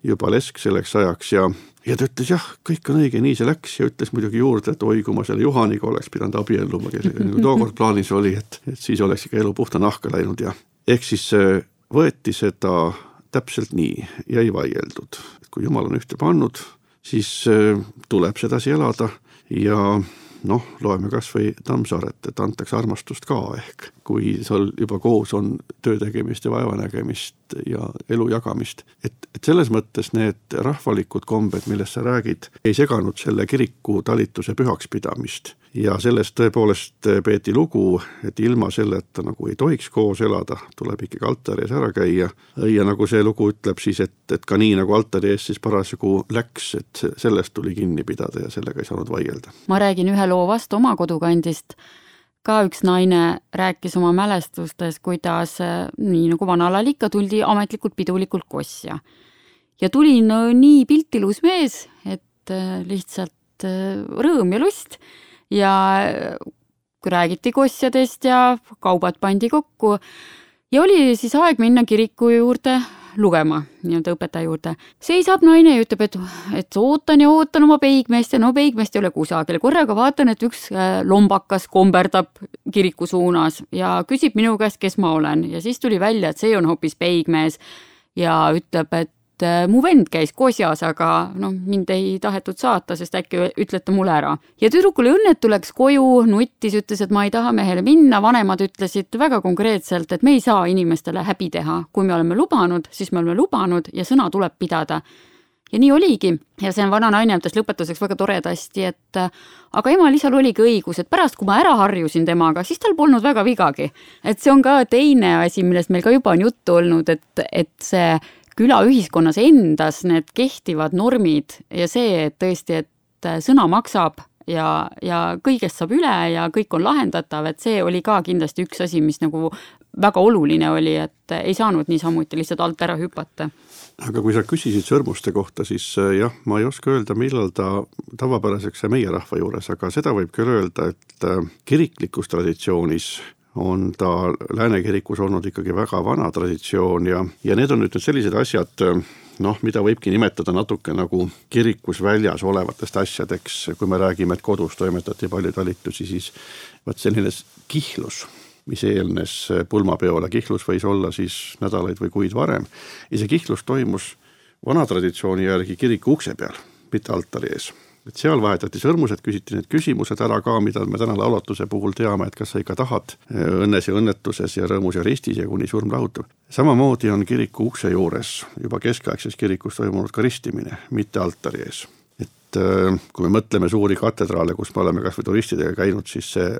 juba lesk selleks ajaks ja Ja ta ütles, jah, kõik on õige, nii see läks ja ütles muidugi juurde, et oi, kui ma selle Juhaniga oleks pidanud abielluma, kellega nagu tookord plaanis oli, et, et siis oleks ikka elu puhta nahka läinud ja ehk siis võeti seda täpselt nii ja ei vaieldud. Kui Jumal on ühte pannud, siis tuleb sedasi elada ja noh, loeme kas või Tammsaaret, et antakse armastust ka ehk, kui seal juba koos on töö tegemist ja vaevanägemist ja elu jagamist. Et, et selles mõttes need rahvalikud kombed, millest sa räägid, ei seganud selle kiriku talituse pühaks pidamist. Ja sellest tõepoolest peeti lugu, et ilma selleta nagu ei tohiks koos elada, tuleb ikkagi altari ees ära käia. Ja nagu see lugu ütleb siis, et, et ka nii nagu altari ees siis parasjagu läks, et sellest tuli kinni pidada ja sellega ei saanud vaielda. Ma räägin ühe loo vastu oma kodukandist. Ka üks naine rääkis oma mälestustes, kuidas nii nagu vanalal ikka tuldi ametlikult pidulikult kosja. Ja tuli no, nii piltilus mees, et lihtsalt lihtsalt rõõm ja lust ja räägiti kosjadest ja kaubad pandi kokku ja oli siis aeg minna kiriku juurde lugema, nii-öelda õpetaja juurde. Seisab naine ja ütleb, et, et ootan ja ootan oma peigmeest ja no peigmeest ei ole kusagil. Korraga vaatan, et üks lombakas komberdab kiriku suunas ja küsib minu käest, kes ma olen. Ja siis tuli välja, et see on hoopis peigmees ja ütleb, et mu vend käis kosjas, aga no, mind ei tahetud saata, sest äkki ütlete mulle ära. Ja tüdrukule õnnetu läks koju, nuttis, ütles, et ma ei taha mehele minna. Vanemad ütlesid väga konkreetselt, et me ei saa inimestele häbi teha. Kui me oleme lubanud, siis me oleme lubanud ja sõna tuleb pidada. Ja nii oligi. Ja see vana naine ütles lõpetuseks väga toredasti, et aga emal isal oligi õigus, et pärast, kui ma ära harjusin temaga, siis tal polnud väga vigagi. Et see on ka teine asi, millest meil ka juba on juttu olnud, et, et see küla ühiskonnas endas need kehtivad normid ja see, et tõesti, et sõna maksab ja, ja kõigest saab üle ja kõik on lahendatav, et see oli ka kindlasti üks asi, mis nagu väga oluline oli, et ei saanud niisamuti lihtsalt alt ära hüpata. Aga kui sa küsisid sõrmuste kohta, siis jah, ma ei oska öelda, millal ta tavapäraseks meie rahva juures, aga seda võib küll öelda, et kiriklikus traditsioonis on ta Lääne kirikus olnud ikkagi väga vana traditsioon ja, ja need on nüüd sellised asjad, noh, mida võibki nimetada natuke nagu kirikus väljas olevatest asjadeks, kui me räägime, et kodus toimetati palju talitusi, siis vaat selline kihlus, mis eelnes pulmapeole, kihlus võis olla siis nädalaid või kuid varem ja see kihlus toimus vana traditsiooni järgi kiriku ukse peal, mitte altari ees. Et seal vahetati sõrmused, küsiti need küsimused ära ka, mida me täna laulatuse puhul teame, et kas sa ikka tahad õnnes ja õnnetuses ja rõõmus ja ristis ja kuni surm lahutab. Samamoodi on kiriku ukse juures juba keskaegses kirikus toimunud ka ristimine, mitte altari ees. Et kui me mõtleme suuri katedraale, kus me oleme kas või turistidega käinud, siis see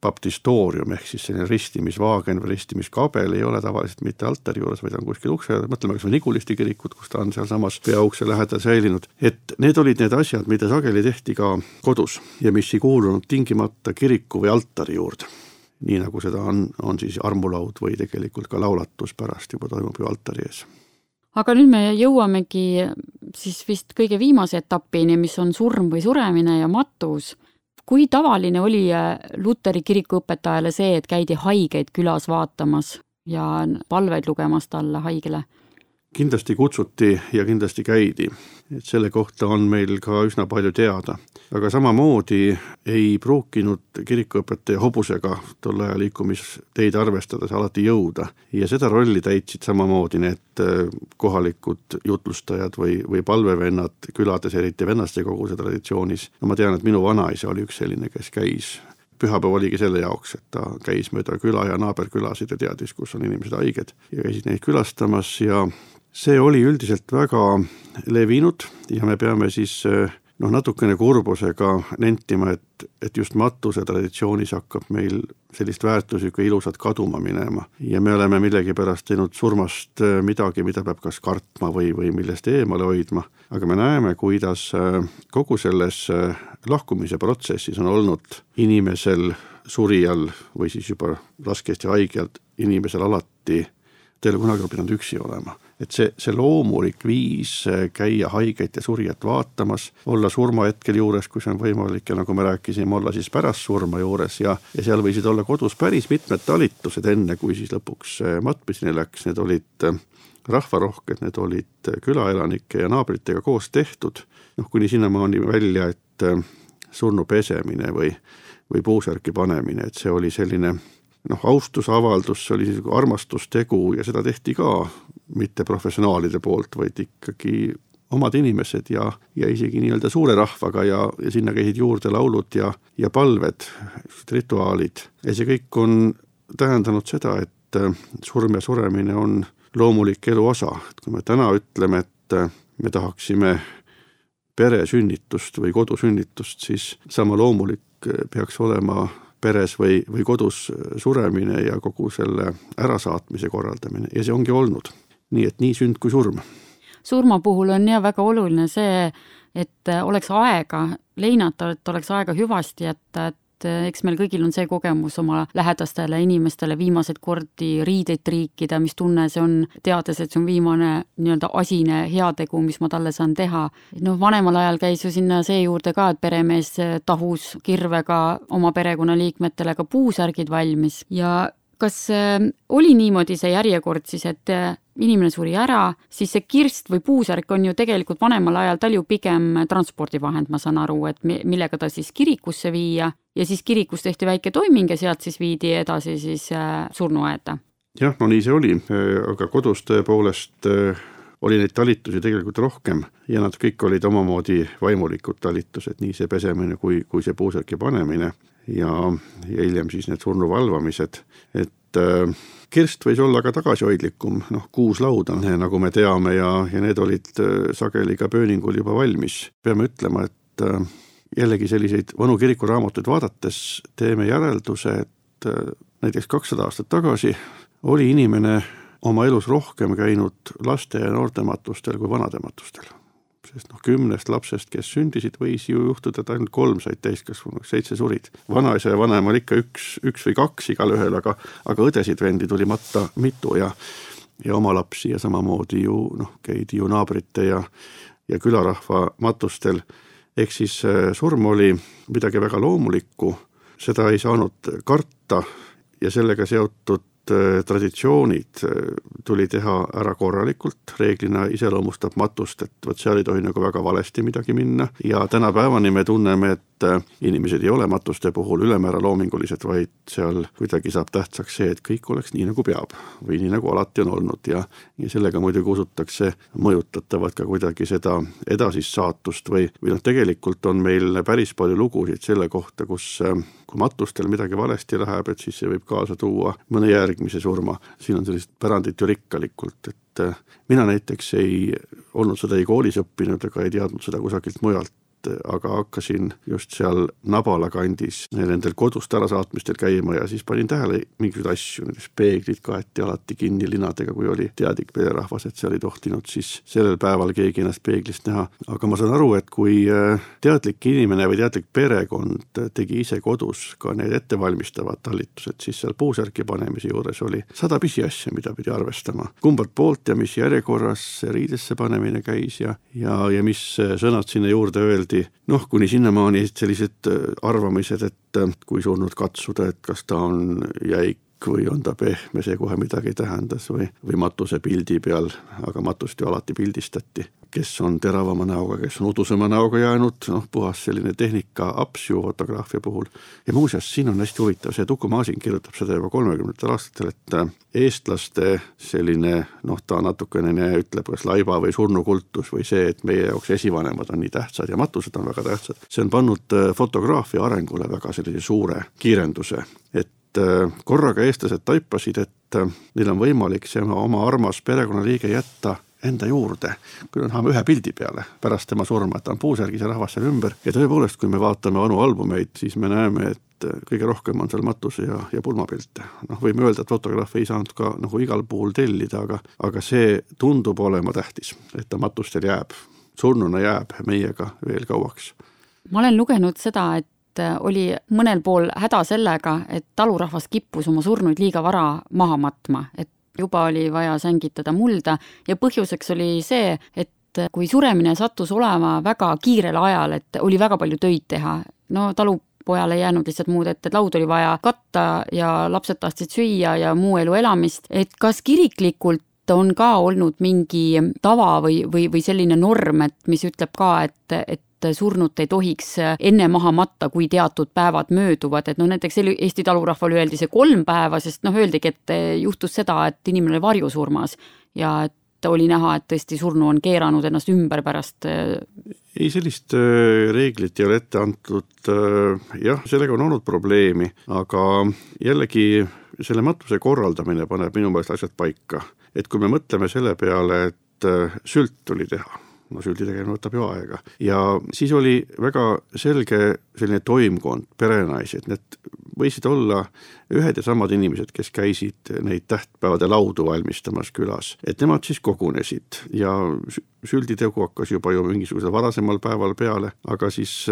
baptistoorium ehk siis selline ristimisvaagen või ristimiskabel ei ole tavaliselt mitte altari juures, vaid on kuskil ukse, mõtleme kas või Nigulisti kirikut, kus ta on seal samas peaukse lähedal säilinud, et need olid need asjad, mida sageli tehti ka kodus ja mis ei kuulunud tingimata kiriku või altari juurde. Nii nagu seda on, on siis armulaud või tegelikult ka laulatus pärast juba toimub ju altari ees. Aga nüüd me jõuamegi siis vist kõige viimase etapini, mis on surm või suremine ja matus. Kui tavaline oli Luteri kiriku õpetajale see, et käidi haigeid külas vaatamas ja palveid lugemas talle haigele? Kindlasti kutsuti ja kindlasti käidi. Et selle kohta on meil ka üsna palju teada. Aga samamoodi ei pruukinud kirikuõpetaja hobusega tolle aja liikumisteid arvestades alati jõuda. Ja seda rolli täitsid samamoodi need kohalikud jutlustajad või, või palvevennad külades, eriti vennaste koguse traditsioonis. No ma tean, et minu vanaisa oli üks selline, kes käis. Pühapäev oligi selle jaoks, et ta käis mööda küla ja naaberkülasid ja teadis, kus on inimesed haiged ja käisid neid külastamas ja see oli üldiselt väga levinud ja me peame siis noh, natukene kurbusega nentima, et, et just matuse traditsioonis hakkab meil sellist väärtuslikku ilusat kaduma minema. Ja me oleme millegi pärast teinud surmast midagi, mida peab kas kartma või, või millest eemale hoidma. Aga me näeme, kuidas kogu selles lahkumise protsessis on olnud inimesel surijal või siis juba raskesti haigelt inimesel alati teile kunagi on pidanud üksi olema. Et see, see loomulik viis käia haiget ja surijat vaatamas, olla surmahetkel juures, kui see on võimalik ja nagu me rääkisime, olla siis pärast surma juures ja, ja seal võisid olla kodus päris mitmed talitused enne, kui siis lõpuks matmiseni läks. Need olid rahvarohked, need olid külaelanike ja naabritega koos tehtud. Noh, kuni sinnamaani välja, et surnu pesemine või, või puusärki panemine, et see oli selline noh, austusavaldus, see oli armastustegu ja seda tehti ka mitte professionaalide poolt, vaid ikkagi omad inimesed ja, ja isegi nii-öelda suure rahvaga ja, ja sinna käisid juurde laulud ja, ja palved, rituaalid. Ja see kõik on tähendanud seda, et surm ja suremine on loomulik elu osa. Et kui me täna ütleme, et me tahaksime peresünnitust või kodusünnitust, siis sama loomulik peaks olema peres või, või kodus suremine ja kogu selle ärasaatmise korraldamine ja see ongi olnud. Nii et nii sünd kui surm. Surma puhul on ja väga oluline see, et oleks aega leinata, et oleks aega hüvasti jätta, et et eks meil kõigil on see kogemus oma lähedastele inimestele viimased kordi riideid triikida, mis tunne see on, teades, et see on viimane nii-öelda asine heategu, mis ma talle saan teha. No vanemal ajal käis ju sinna see juurde ka, et peremees tahus kirvega oma perekonnaliikmetele ka puusärgid valmis ja kas oli niimoodi see järjekord siis, et inimene suri ära, siis see kirst või puusärk on ju tegelikult vanemal ajal tal ju pigem transpordivahend, ma saan aru, et millega ta siis kirikusse viia ja siis kirikus tehti väike toiming ja sealt siis viidi edasi siis surnuaeda. Jah, no nii see oli, aga kodus tõepoolest oli neid talitusi tegelikult rohkem ja nad kõik olid omamoodi vaimulikud talitused, nii see pesemine kui, kui see puusärki panemine ja, ja hiljem siis need surnu valvamised, et äh, kirst võis olla ka tagasihoidlikum, noh kuuslauda, nagu me teame ja, ja need olid äh, sageli ka pööningul juba valmis. Peame ütlema, et äh, jällegi selliseid vanu kirikuraamatuid vaadates teeme järelduse, et äh, näiteks kakssada aastat tagasi oli inimene oma elus rohkem käinud laste ja noortematustel kui vanadematustel. Sest noh, kümnest lapsest, kes sündisid, võis ju juhtuda, et ainult kolm said täiskasvanuks, seitse surid. Vanaisa ja vanemal ikka üks, üks või kaks igal ühel, aga, aga õdesid vendi tuli matta mitu ja, ja oma lapsi ja samamoodi ju noh, käidi ju naabrite ja, ja külarahva matustel. Ehk siis surm oli midagi väga loomulikku, seda ei saanud karta ja sellega seotud traditsioonid tuli teha ära korralikult, reeglina iseloomustab matust, et võt seal ei tohi nagu väga valesti midagi minna ja tänapäevani me tunneme, et inimesed ei ole matuste puhul ülemäära loomingulised, vaid seal kuidagi saab tähtsaks see, et kõik oleks nii nagu peab või nii nagu alati on olnud ja, ja sellega muidugi usutakse mõjutatavad ka kuidagi seda edasist saatust või, või noh, tegelikult on meil päris palju lugusid selle kohta, kus kui matustel midagi valesti läheb, et siis see võib kaasa tuua mõne järgmise surma. Siin on sellist pärandit ju rikkalikult, et mina näiteks ei olnud seda ei koolis õppinud ega ei teadnud seda kusagilt mujalt, aga hakkasin just seal Nabala kandis nendel kodust ärasaatmistel käima ja siis panin tähele mingeid asju, näiteks peeglid kaeti alati kinni linadega, kui oli teadik pererahvas, et seal ei tohtinud siis sellel päeval keegi ennast peeglist näha. Aga ma saan aru, et kui teadlik inimene või teadlik perekond tegi ise kodus ka need ettevalmistavad talitused, siis seal puusärki panemise juures oli sada pisiasja, mida pidi arvestama. Kumbalt poolt ja mis järjekorras riidesse panemine käis ja, ja, ja mis sõnad sinna juurde öeldi. Noh, kuni sinnamaani sellised arvamised, et kui surnud katsuda, et kas ta on jäik või on ta pehme, see kohe midagi tähendas või, või matuse pildi peal, aga matust ju alati pildistati. Kes on teravama näoga, kes on udusema näoga jäänud, noh, puhas selline tehnika aps ju fotograafia puhul. Ja muuseas, siin on hästi huvitav, see Tuku Maasin kirjutab seda juba kolmekümnendatel aastatel, et eestlaste selline, noh, ta natukene ütleb, kas laiba või surnukultus või see, et meie jaoks esivanemad on nii tähtsad ja matused on väga tähtsad. See on pannud fotograafia arengule väga sellise suure kiirenduse, et korraga eestlased taipasid, et neil on võimalik see oma armas perekonnaliige jätta enda juurde, kui me tahame ühe pildi peale pärast tema surma, et ta on puusärgis ja rahvas seal ümber. Ja tõepoolest, kui me vaatame vanu albumeid, siis me näeme, et kõige rohkem on seal matuse ja, ja pulmapilte. Noh, võime öelda, et fotograafi ei saanud ka nagu igal puhul tellida, aga, aga see tundub olema tähtis, et ta matustel jääb, surnuna jääb meiega veel kauaks. Ma olen lugenud seda, et oli mõnel pool häda sellega, et talurahvas kippus oma surnuid liiga vara maha matma, et juba oli vaja sängitada mulda ja põhjuseks oli see, et kui suremine sattus olema väga kiirel ajal, et oli väga palju töid teha, no talupojal ei jäänud lihtsalt muud, et, et laud oli vaja katta ja lapsed tahtsid süüa ja muu elu elamist, et kas kiriklikult on ka olnud mingi tava või, või, või selline norm, et mis ütleb ka, et, et surnut ei tohiks enne maha matta, kui teatud päevad mööduvad, et no näiteks Eesti talurahval öeldi see kolm päeva, sest noh, öeldigi, et juhtus seda, et inimene varjusurmas ja et oli näha, et tõesti surnu on keeranud ennast ümber pärast. Ei, sellist reeglit ei ole ette antud, jah, sellega on olnud probleemi, aga jällegi selle matuse korraldamine paneb minu meelest asjad paika, et kui me mõtleme selle peale, et sült tuli teha, no süldi tegemine võtab ju aega. Ja siis oli väga selge selline toimkond, perenaised, need võisid olla ühed ja samad inimesed, kes käisid neid tähtpäevade laudu valmistamas külas, et nemad siis kogunesid ja sülditegu hakkas juba ju mingisugusel varasemal päeval peale, aga siis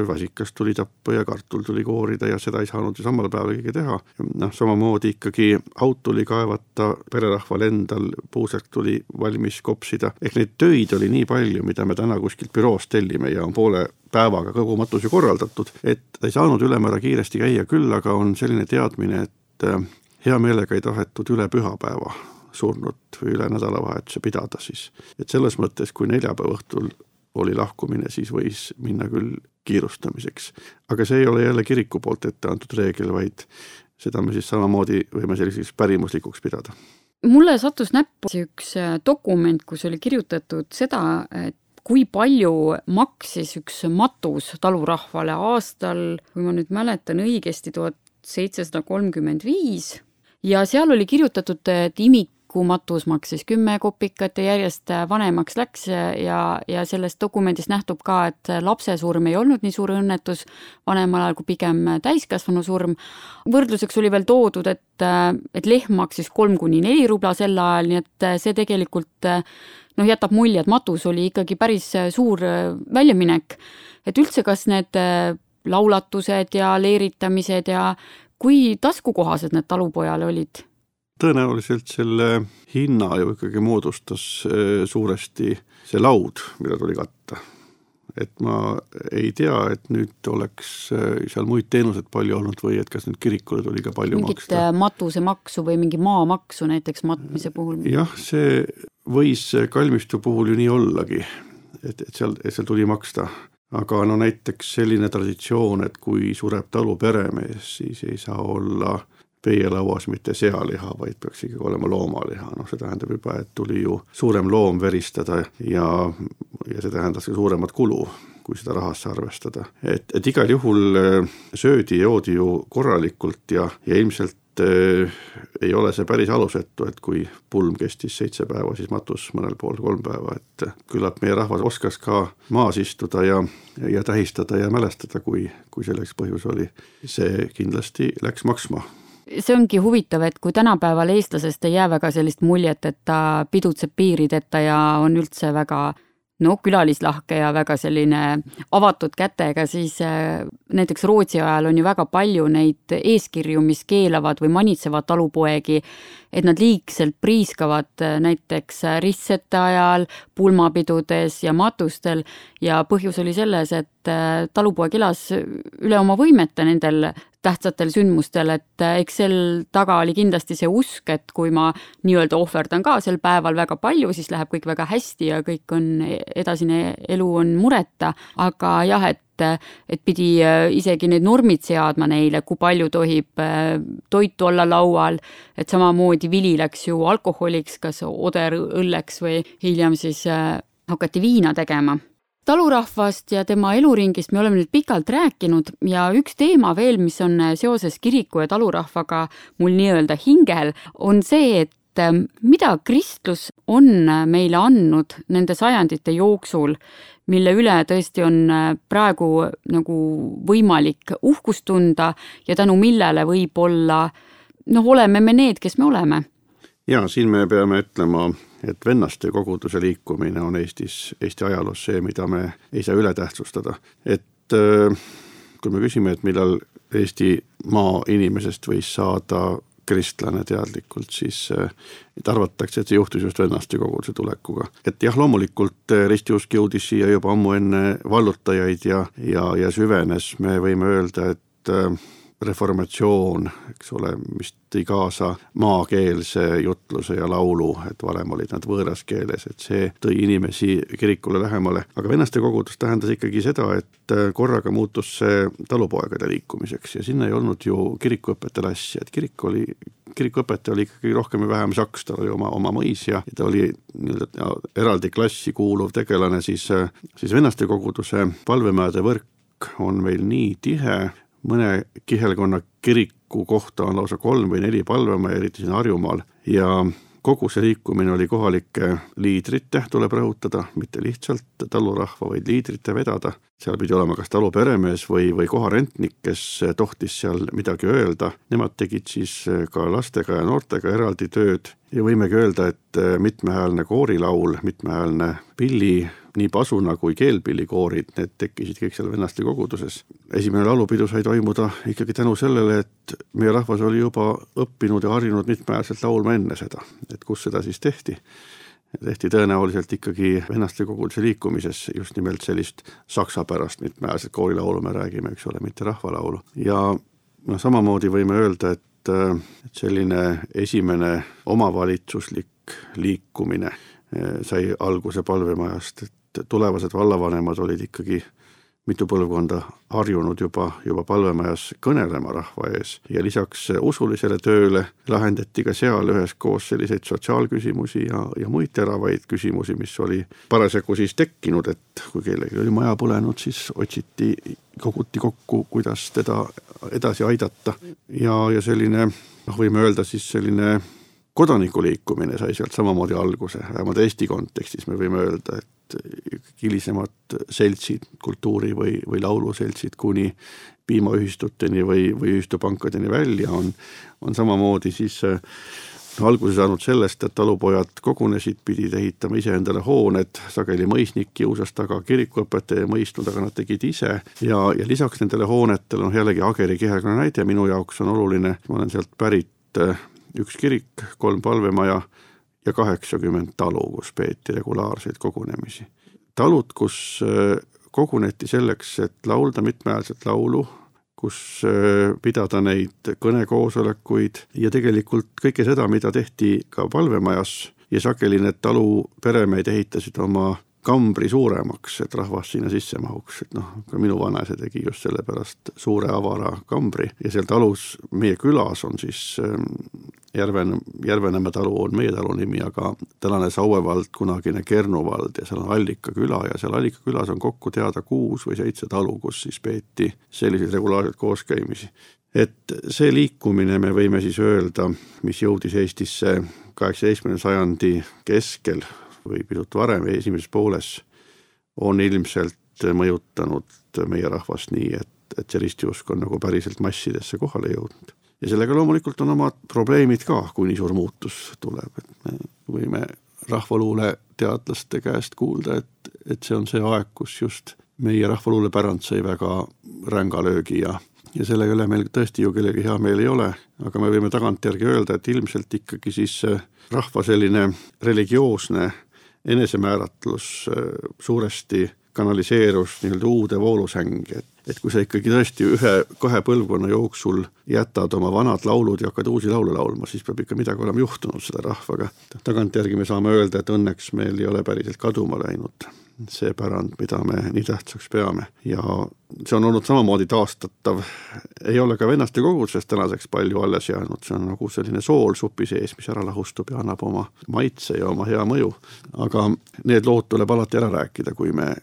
väsikas tuli tappa ja kartul tuli koorida ja seda ei saanud ju samal päeval keegi teha. Noh, samamoodi ikkagi aut tuli kaevata, pererahval endal puuselt tuli valmis kopsida. Ehk neid töid oli nii palju, mida me täna kuskilt büroost tellime ja on poole päevaga kogu matuse korraldatud, et ei saanud ülemäära kiiresti käia, küll aga on selline teadmine, et hea meelega ei tahetud üle pühapäeva surnud või üle nädalavahetuse pidada siis. Et selles mõttes, kui neljapäeva õhtul oli lahkumine, siis võis minna küll kiirustamiseks. Aga see ei ole jälle kiriku poolt ette antud reegel, vaid seda me siis samamoodi võime selliseks pärimuslikuks pidada. Mulle sattus näppu üks dokument, kus oli kirjutatud seda, et kui palju maksis üks matus talurahvale aastal, kui ma nüüd mäletan õigesti, tuhat seitsesada kolmkümmend viis, ja seal oli kirjutatud, et imikumatus maksis kümme kopikat ja järjest vanemaks läks ja, ja sellest dokumendist nähtub ka, et lapse surm ei olnud nii suur õnnetus vanemal ajal kui pigem täiskasvanu surm. Võrdluseks oli veel toodud, et, et lehm maksis kolm kuni neli rubla sel ajal, nii et see tegelikult noh, jätab mulje, et matus oli ikkagi päris suur väljaminek. Et üldse kas need laulatused ja leeritamised ja kui taskukohased need talupojale olid? Tõenäoliselt selle hinna ju ikkagi moodustas suuresti see laud, mida tuli katta. Et ma ei tea, et nüüd oleks seal muid teenused palju olnud või et kas nüüd kirikule tuli ka palju mingit maksta. Mingit matuse maksu või mingi maamaksu näiteks matmise puhul? Jah, see võis kalmistu puhul ju nii ollagi, et, et, seal, et seal tuli maksta. Aga no näiteks selline traditsioon, et kui sureb talu peremees, siis ei saa olla peielauas mitte sealiha, vaid peaks ikkagi olema loomaliha. No see tähendab juba, et tuli ju suurem loom veristada ja, ja see tähendas ka suuremat kulu, kui seda rahasse arvestada. Et, et igal juhul söödi joodi ju korralikult ja, ja ilmselt äh, ei ole see päris alusetu, et kui pulm kestis seitse päeva, siis matus mõnel pool kolm päeva. Et küllap meie rahvas oskas ka maas istuda ja, ja tähistada ja mälestada, kui, kui selleks põhjus oli. See kindlasti läks maksma. See ongi huvitav, et kui tänapäeval eestlasest ei jää väga sellist muljet, et ta pidutseb piirideta ja on üldse väga no, külalislahke ja väga selline avatud kätega, siis näiteks Rootsi ajal on ju väga palju neid eeskirju, mis keelavad või manitsevad talupoegi, et nad liigselt priiskavad näiteks ristsete ajal, pulmapidudes ja matustel ja põhjus oli selles, et talupoeg elas üle oma võimete nendel tähtsatel sündmustel, et eks sel taga oli kindlasti see usk, et kui ma nii-öelda ohverdan ka sel päeval väga palju, siis läheb kõik väga hästi ja kõik on, edasine elu on mureta, aga jah, et et pidi isegi need normid seadma neile, kui palju tohib toitu olla laual, et samamoodi vili läks ju alkoholiks, kas oder õlleks või hiljem siis hakati viina tegema. Talurahvast ja tema eluringist me oleme nüüd pikalt rääkinud ja üks teema veel, mis on seoses kiriku ja talurahvaga mul nii-öelda hingel, on see, et mida kristlus on meile andnud nende sajandite jooksul, mille üle tõesti on praegu nagu võimalik uhkust tunda ja tänu millele võib olla, noh, oleme me need, kes me oleme. Ja siin me peame ütlema, et vennaste koguduse liikumine on Eestis, Eesti ajaloos see, mida me ei saa üle tähtsustada. Et kui me küsime, et millal Eesti maa inimesest võis saada kristlane teadlikult, siis et arvatakse, et see juhtus just vennaste koguduse tulekuga. Et jah, loomulikult ristiusk jõudis siia juba ammu enne vallutajaid ja, ja, ja süvenes. Me võime öelda, et reformatsioon, eks ole, mis tõi kaasa maakeelse jutluse ja laulu, et varem olid nad võõras keeles, et see tõi inimesi kirikule lähemale. Aga vennaste kogudus tähendas ikkagi seda, et korraga muutus see talupoegade liikumiseks ja sinna ei olnud ju kirikuõpetaja asja, et kirik oli, kirikuõpetaja oli ikkagi rohkem ja vähem saks, ta oli oma, oma mõis ja ta oli nii-öelda eraldi klassi kuuluv tegelane, siis, siis vennaste koguduse palvemäede võrk on meil nii tihe, mõne kihelkonna kiriku kohta on lausa kolm või neli palvema, eriti siin Harjumaal. Ja kogu see liikumine oli kohalike liidrite, tuleb rõhutada, mitte lihtsalt talurahva, vaid liidrite vedada. Seal pidi olema kas talu peremees või, või koharentnik, kes tohtis seal midagi öelda. Nemad tegid siis ka lastega ja noortega eraldi tööd ja võimegi öelda, et mitmehäälne koorilaul, mitmehäälne pilli, nii pasuna kui keelpillikoorid, need tekkisid kõik seal Vennaste koguduses. Esimene laulupidu sai toimuda ikkagi tänu sellele, et meie rahvas oli juba õppinud ja harjunud mitmehäälselt laulma enne seda, et kus seda siis tehti. Tehti tõenäoliselt ikkagi Vennaste koguduse liikumises just nimelt sellist saksa pärast mitmehäälset koorilaulu me räägime, eks ole, mitte rahvalaulu. Ja no, samamoodi võime öelda, et, et selline esimene omavalitsuslik liikumine sai alguse palvemajast, et tulevased vallavanemad olid ikkagi mitu põlvkonda harjunud juba, juba palvemajas kõnelema rahva ees ja lisaks usulisele tööle lahendati ka seal üheskoos selliseid sotsiaalküsimusi ja, ja muid teravaid küsimusi, mis oli parasjagu siis tekkinud, et kui kellegi oli maja põlenud, siis otsiti, koguti kokku, kuidas teda edasi aidata ja, ja selline, noh, võime öelda siis selline kodanikuliikumine sai sealt samamoodi alguse, vähemalt Eesti kontekstis me võime öelda, et hilisemad seltsid, kultuuri või, või lauluseltsid kuni piimaühistuteni või, või ühistupankadeni välja on, on samamoodi siis no, alguse saanud sellest, et talupojad kogunesid, pidid ehitama ise endale hooned, sageli mõisnik kiusas taga kirikuõpetaja mõistnud, aga nad tegid ise ja, ja lisaks nendele hoonetele on jällegi Ageri kihelkonna näide, minu jaoks on oluline, ma olen sealt pärit üks kirik, kolm palvemaja ja kaheksakümmend talu, kus peeti regulaarseid kogunemisi. Talud, kus koguneti selleks, et laulda mitmehäälset laulu, kus pidada neid kõnekoosolekuid ja tegelikult kõike seda, mida tehti ka palvemajas ja sageli need talu peremeid ehitasid oma kambri suuremaks, et rahvas sinna sisse mahuks, et noh, ka minu vanaisa tegi just selle pärast suure avara kambri ja seal talus meie külas on siis Järven, Järvenemäe talu on meie talu nimi, aga tänane Sauevald, kunagine Kernuvald ja seal on Allika küla ja seal Allika külas on kokku teada kuus või seitse talu, kus siis peeti selliseid regulaarseid kooskäimisi. Et see liikumine me võime siis öelda, mis jõudis Eestisse kaheksateistkümnenda sajandi keskel või pisut varem esimeses pooles, on ilmselt mõjutanud meie rahvast nii, et, et see ristiusk on nagu päriselt massidesse kohale jõudnud. Ja sellega loomulikult on omad probleemid ka, kui nii suur muutus tuleb. Et me võime rahvaluule teadlaste käest kuulda, et, et see on see aeg, kus just meie rahvaluule pärand sai väga ränga löögi ja, ja sellega üle meil tõesti ju kellegi hea meil ei ole, aga me võime tagantjärgi öelda, et ilmselt ikkagi siis rahva selline religioosne enesemääratlus suuresti kanaliseerus nii-öelda uude voolusängi, et, et kui sa ikkagi tõesti ühe, kahe põlvkonna jooksul jätad oma vanad laulud ja hakkad uusi laule laulma, siis peab ikka midagi olema juhtunud seda rahvaga. Tagantjärgi me saame öelda, et õnneks meil ei ole päriselt kaduma läinud see pärand, mida me nii tähtsaks peame ja see on olnud samamoodi taastatav. Ei ole ka Vennaste kogudusest tänaseks palju alles jäänud, see on nagu selline sool supi sees, mis ära lahustub ja annab oma maitse ja oma hea mõju. Aga need lood tuleb alati ära rääkida, kui me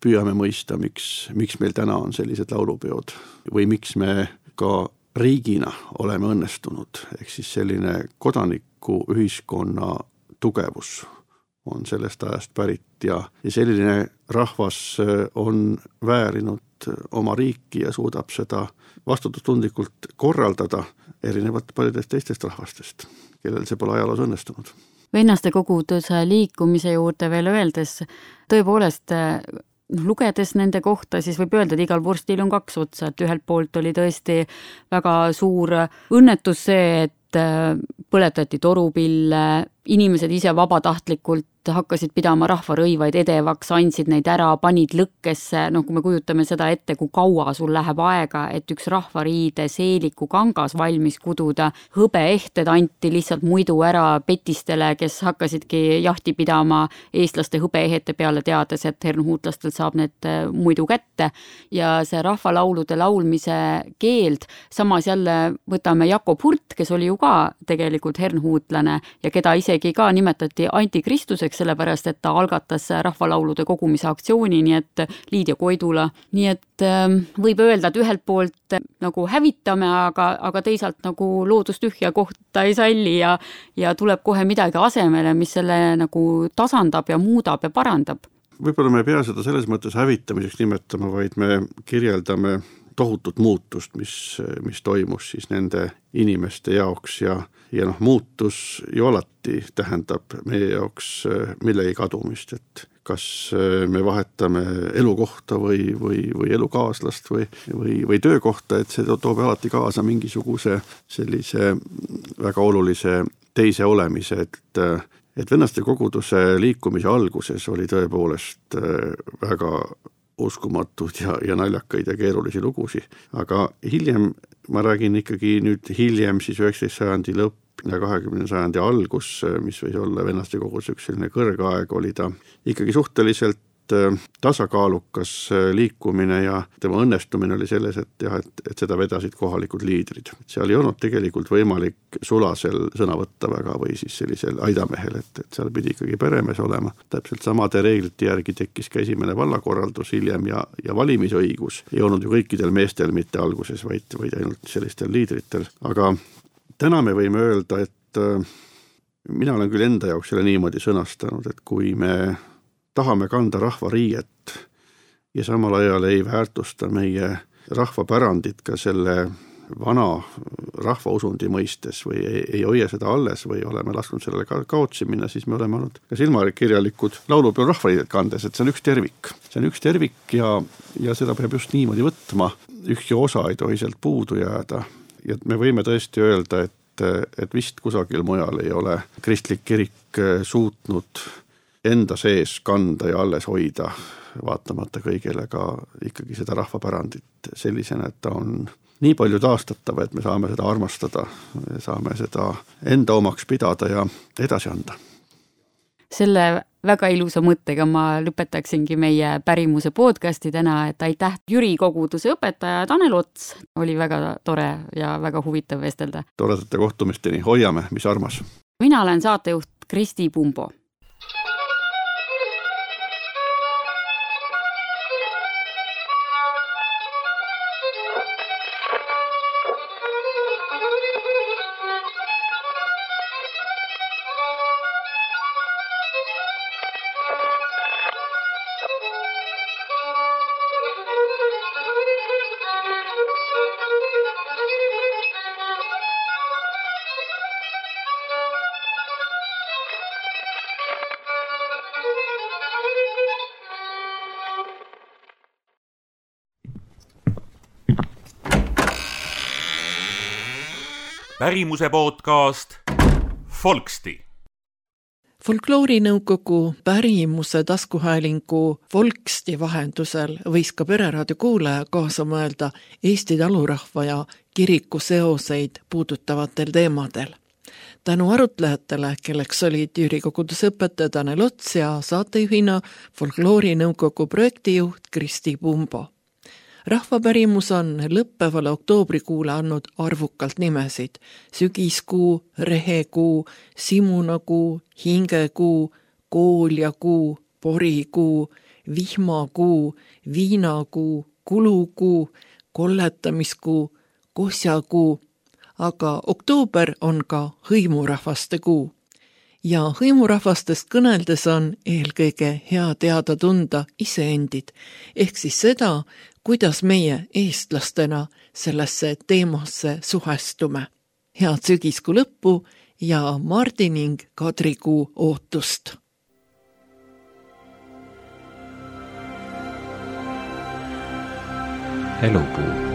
püüame mõista, miks, miks meil täna on sellised laulupeod või miks me ka riigina oleme õnnestunud. Ehk siis selline kodaniku ühiskonna tugevus on sellest ajast pärit ja, ja selline rahvas on väärinud oma riiki ja suudab seda vastutustundlikult korraldada erinevalt paljudest teistest rahvastest, kellel see pole ajaloos õnnestunud. Vennaste koguduse liikumise juurde veel öeldes, tõepoolest lugedes nende kohta, siis võib öelda, et igal vurstil on kaks otsa, et ühelt poolt oli tõesti väga suur õnnetus see, et põletati torupille, inimesed ise vabatahtlikult hakkasid pidama rahvarõivaid edevaks, andsid neid ära, panid lõkkesse, noh kui me kujutame seda ette, kui kaua sul läheb aega, et üks rahvariide seeliku kangas valmis kududa, hõbeehted anti lihtsalt muidu ära petistele, kes hakkasidki jahti pidama eestlaste hõbeehete peale, teades, et hernhuutlastel saab need muidu kätte ja see rahvalaulude laulmise keeld, samas jälle võtame Jakob Hurt, kes oli ju ka tegelikult hernhuutlane ja keda isegi ka nimetati antikristuseks näiteks sellepärast, et ta algatas rahvalaulude kogumise aktsiooni, nii et Liidia Koidula, nii et võib öelda, et ühelt poolt nagu hävitame, aga, aga teisalt nagu loodustühja kohta ei salli ja, ja tuleb kohe midagi asemele, mis selle nagu tasandab ja muudab ja parandab. Võib-olla me ei pea seda selles mõttes hävitamiseks nimetama, vaid me kirjeldame tohutut muutust, mis, mis toimus siis nende inimeste jaoks ja, ja noh, muutus ju alati tähendab meie jaoks millegi kadumist, et kas me vahetame elukohta või, või, või elukaaslast või, või, või töökohta, et see toob alati kaasa mingisuguse sellise väga olulise teise olemise, et et vennaste koguduse liikumise alguses oli tõepoolest väga uskumatud ja, ja naljakaid ja keerulisi lugusi, aga hiljem, ma räägin ikkagi nüüd hiljem siis üheksateistkümnenda sajandi lõpp ja kahekümnenda sajandi algus, mis võis olla vennaste koguduse üks selline kõrgaeg, oli ta ikkagi suhteliselt tasakaalukas liikumine ja tema õnnestumine oli selles, et jah, et, et seda vedasid kohalikud liidrid. Seal ei olnud tegelikult võimalik sulasel sõna võtta väga või siis sellisel aidamehel, et, et seal pidi ikkagi peremees olema. Täpselt samade reeglite järgi tekkis ka esimene vallakorraldus hiljem ja, ja valimisõigus ei olnud ju kõikidel meestel mitte alguses, vaid, vaid ainult sellistel liidritel. Aga täna me võime öelda, et mina olen küll enda jaoks selle niimoodi sõnastanud, et kui me tahame kanda rahva riiet ja samal ajal ei väärtusta meie rahvapärandit ka selle vana rahvausundi mõistes või ei, ei hoia seda alles või oleme lasknud sellele ka kaotsi minna, siis me oleme olnud ka silmakirjalikud laulupeol rahvariidet kandes, et see on üks tervik. See on üks tervik ja, ja seda peab just niimoodi võtma. Ükski osa ei tohi sealt puudu jääda ja me võime tõesti öelda, et, et vist kusagil mujal ei ole kristlik kirik suutnud enda sees kanda ja alles hoida, vaatamata kõigele ka ikkagi seda rahvapärandit sellisena, et ta on nii palju taastatava, et me saame seda armastada, saame seda enda omaks pidada ja edasi anda. Selle väga ilusa mõttega ma lõpetaksingi meie pärimuse podcasti täna, et aitäh Jüri koguduse õpetaja Tanel Ots, oli väga tore ja väga huvitav vestelda. Toredate kohtumisteni, hoiame, mis armas. Mina olen saatejuht Kristi Pumbo. pärimuse podcast Folksti. Folkloorinõukogu pärimuse taskuhäälingu Folksti vahendusel võis ka Pereraadio kuulaja kaasa mõelda Eesti talurahva ja kiriku seoseid puudutavatel teemadel. Tänu arutlejatele, kelleks olid Jüri koguduse õpetaja Tanel Ots ja saatejuhina Folkloorinõukogu projektijuht Kristi Pumbo. Rahvapärimus on lõppevale oktoobrikuule andnud arvukalt nimesid: sügiskuu, rehekuu, simunakuu, hingekuu, kooljakuu, porikuu, vihmakuu, viinakuu, kulukuu, kolletamiskuu, kosjakuu, aga oktoober on ka hõimurahvaste kuu. Ja hõimurahvastest kõneldes on eelkõige hea teada tunda iseendid, ehk siis seda, kuidas meie eestlastena sellesse teemasse suhestume. Head sügiskuu lõppu ja Mardi ning Kadrikuu ootust! Elupuu.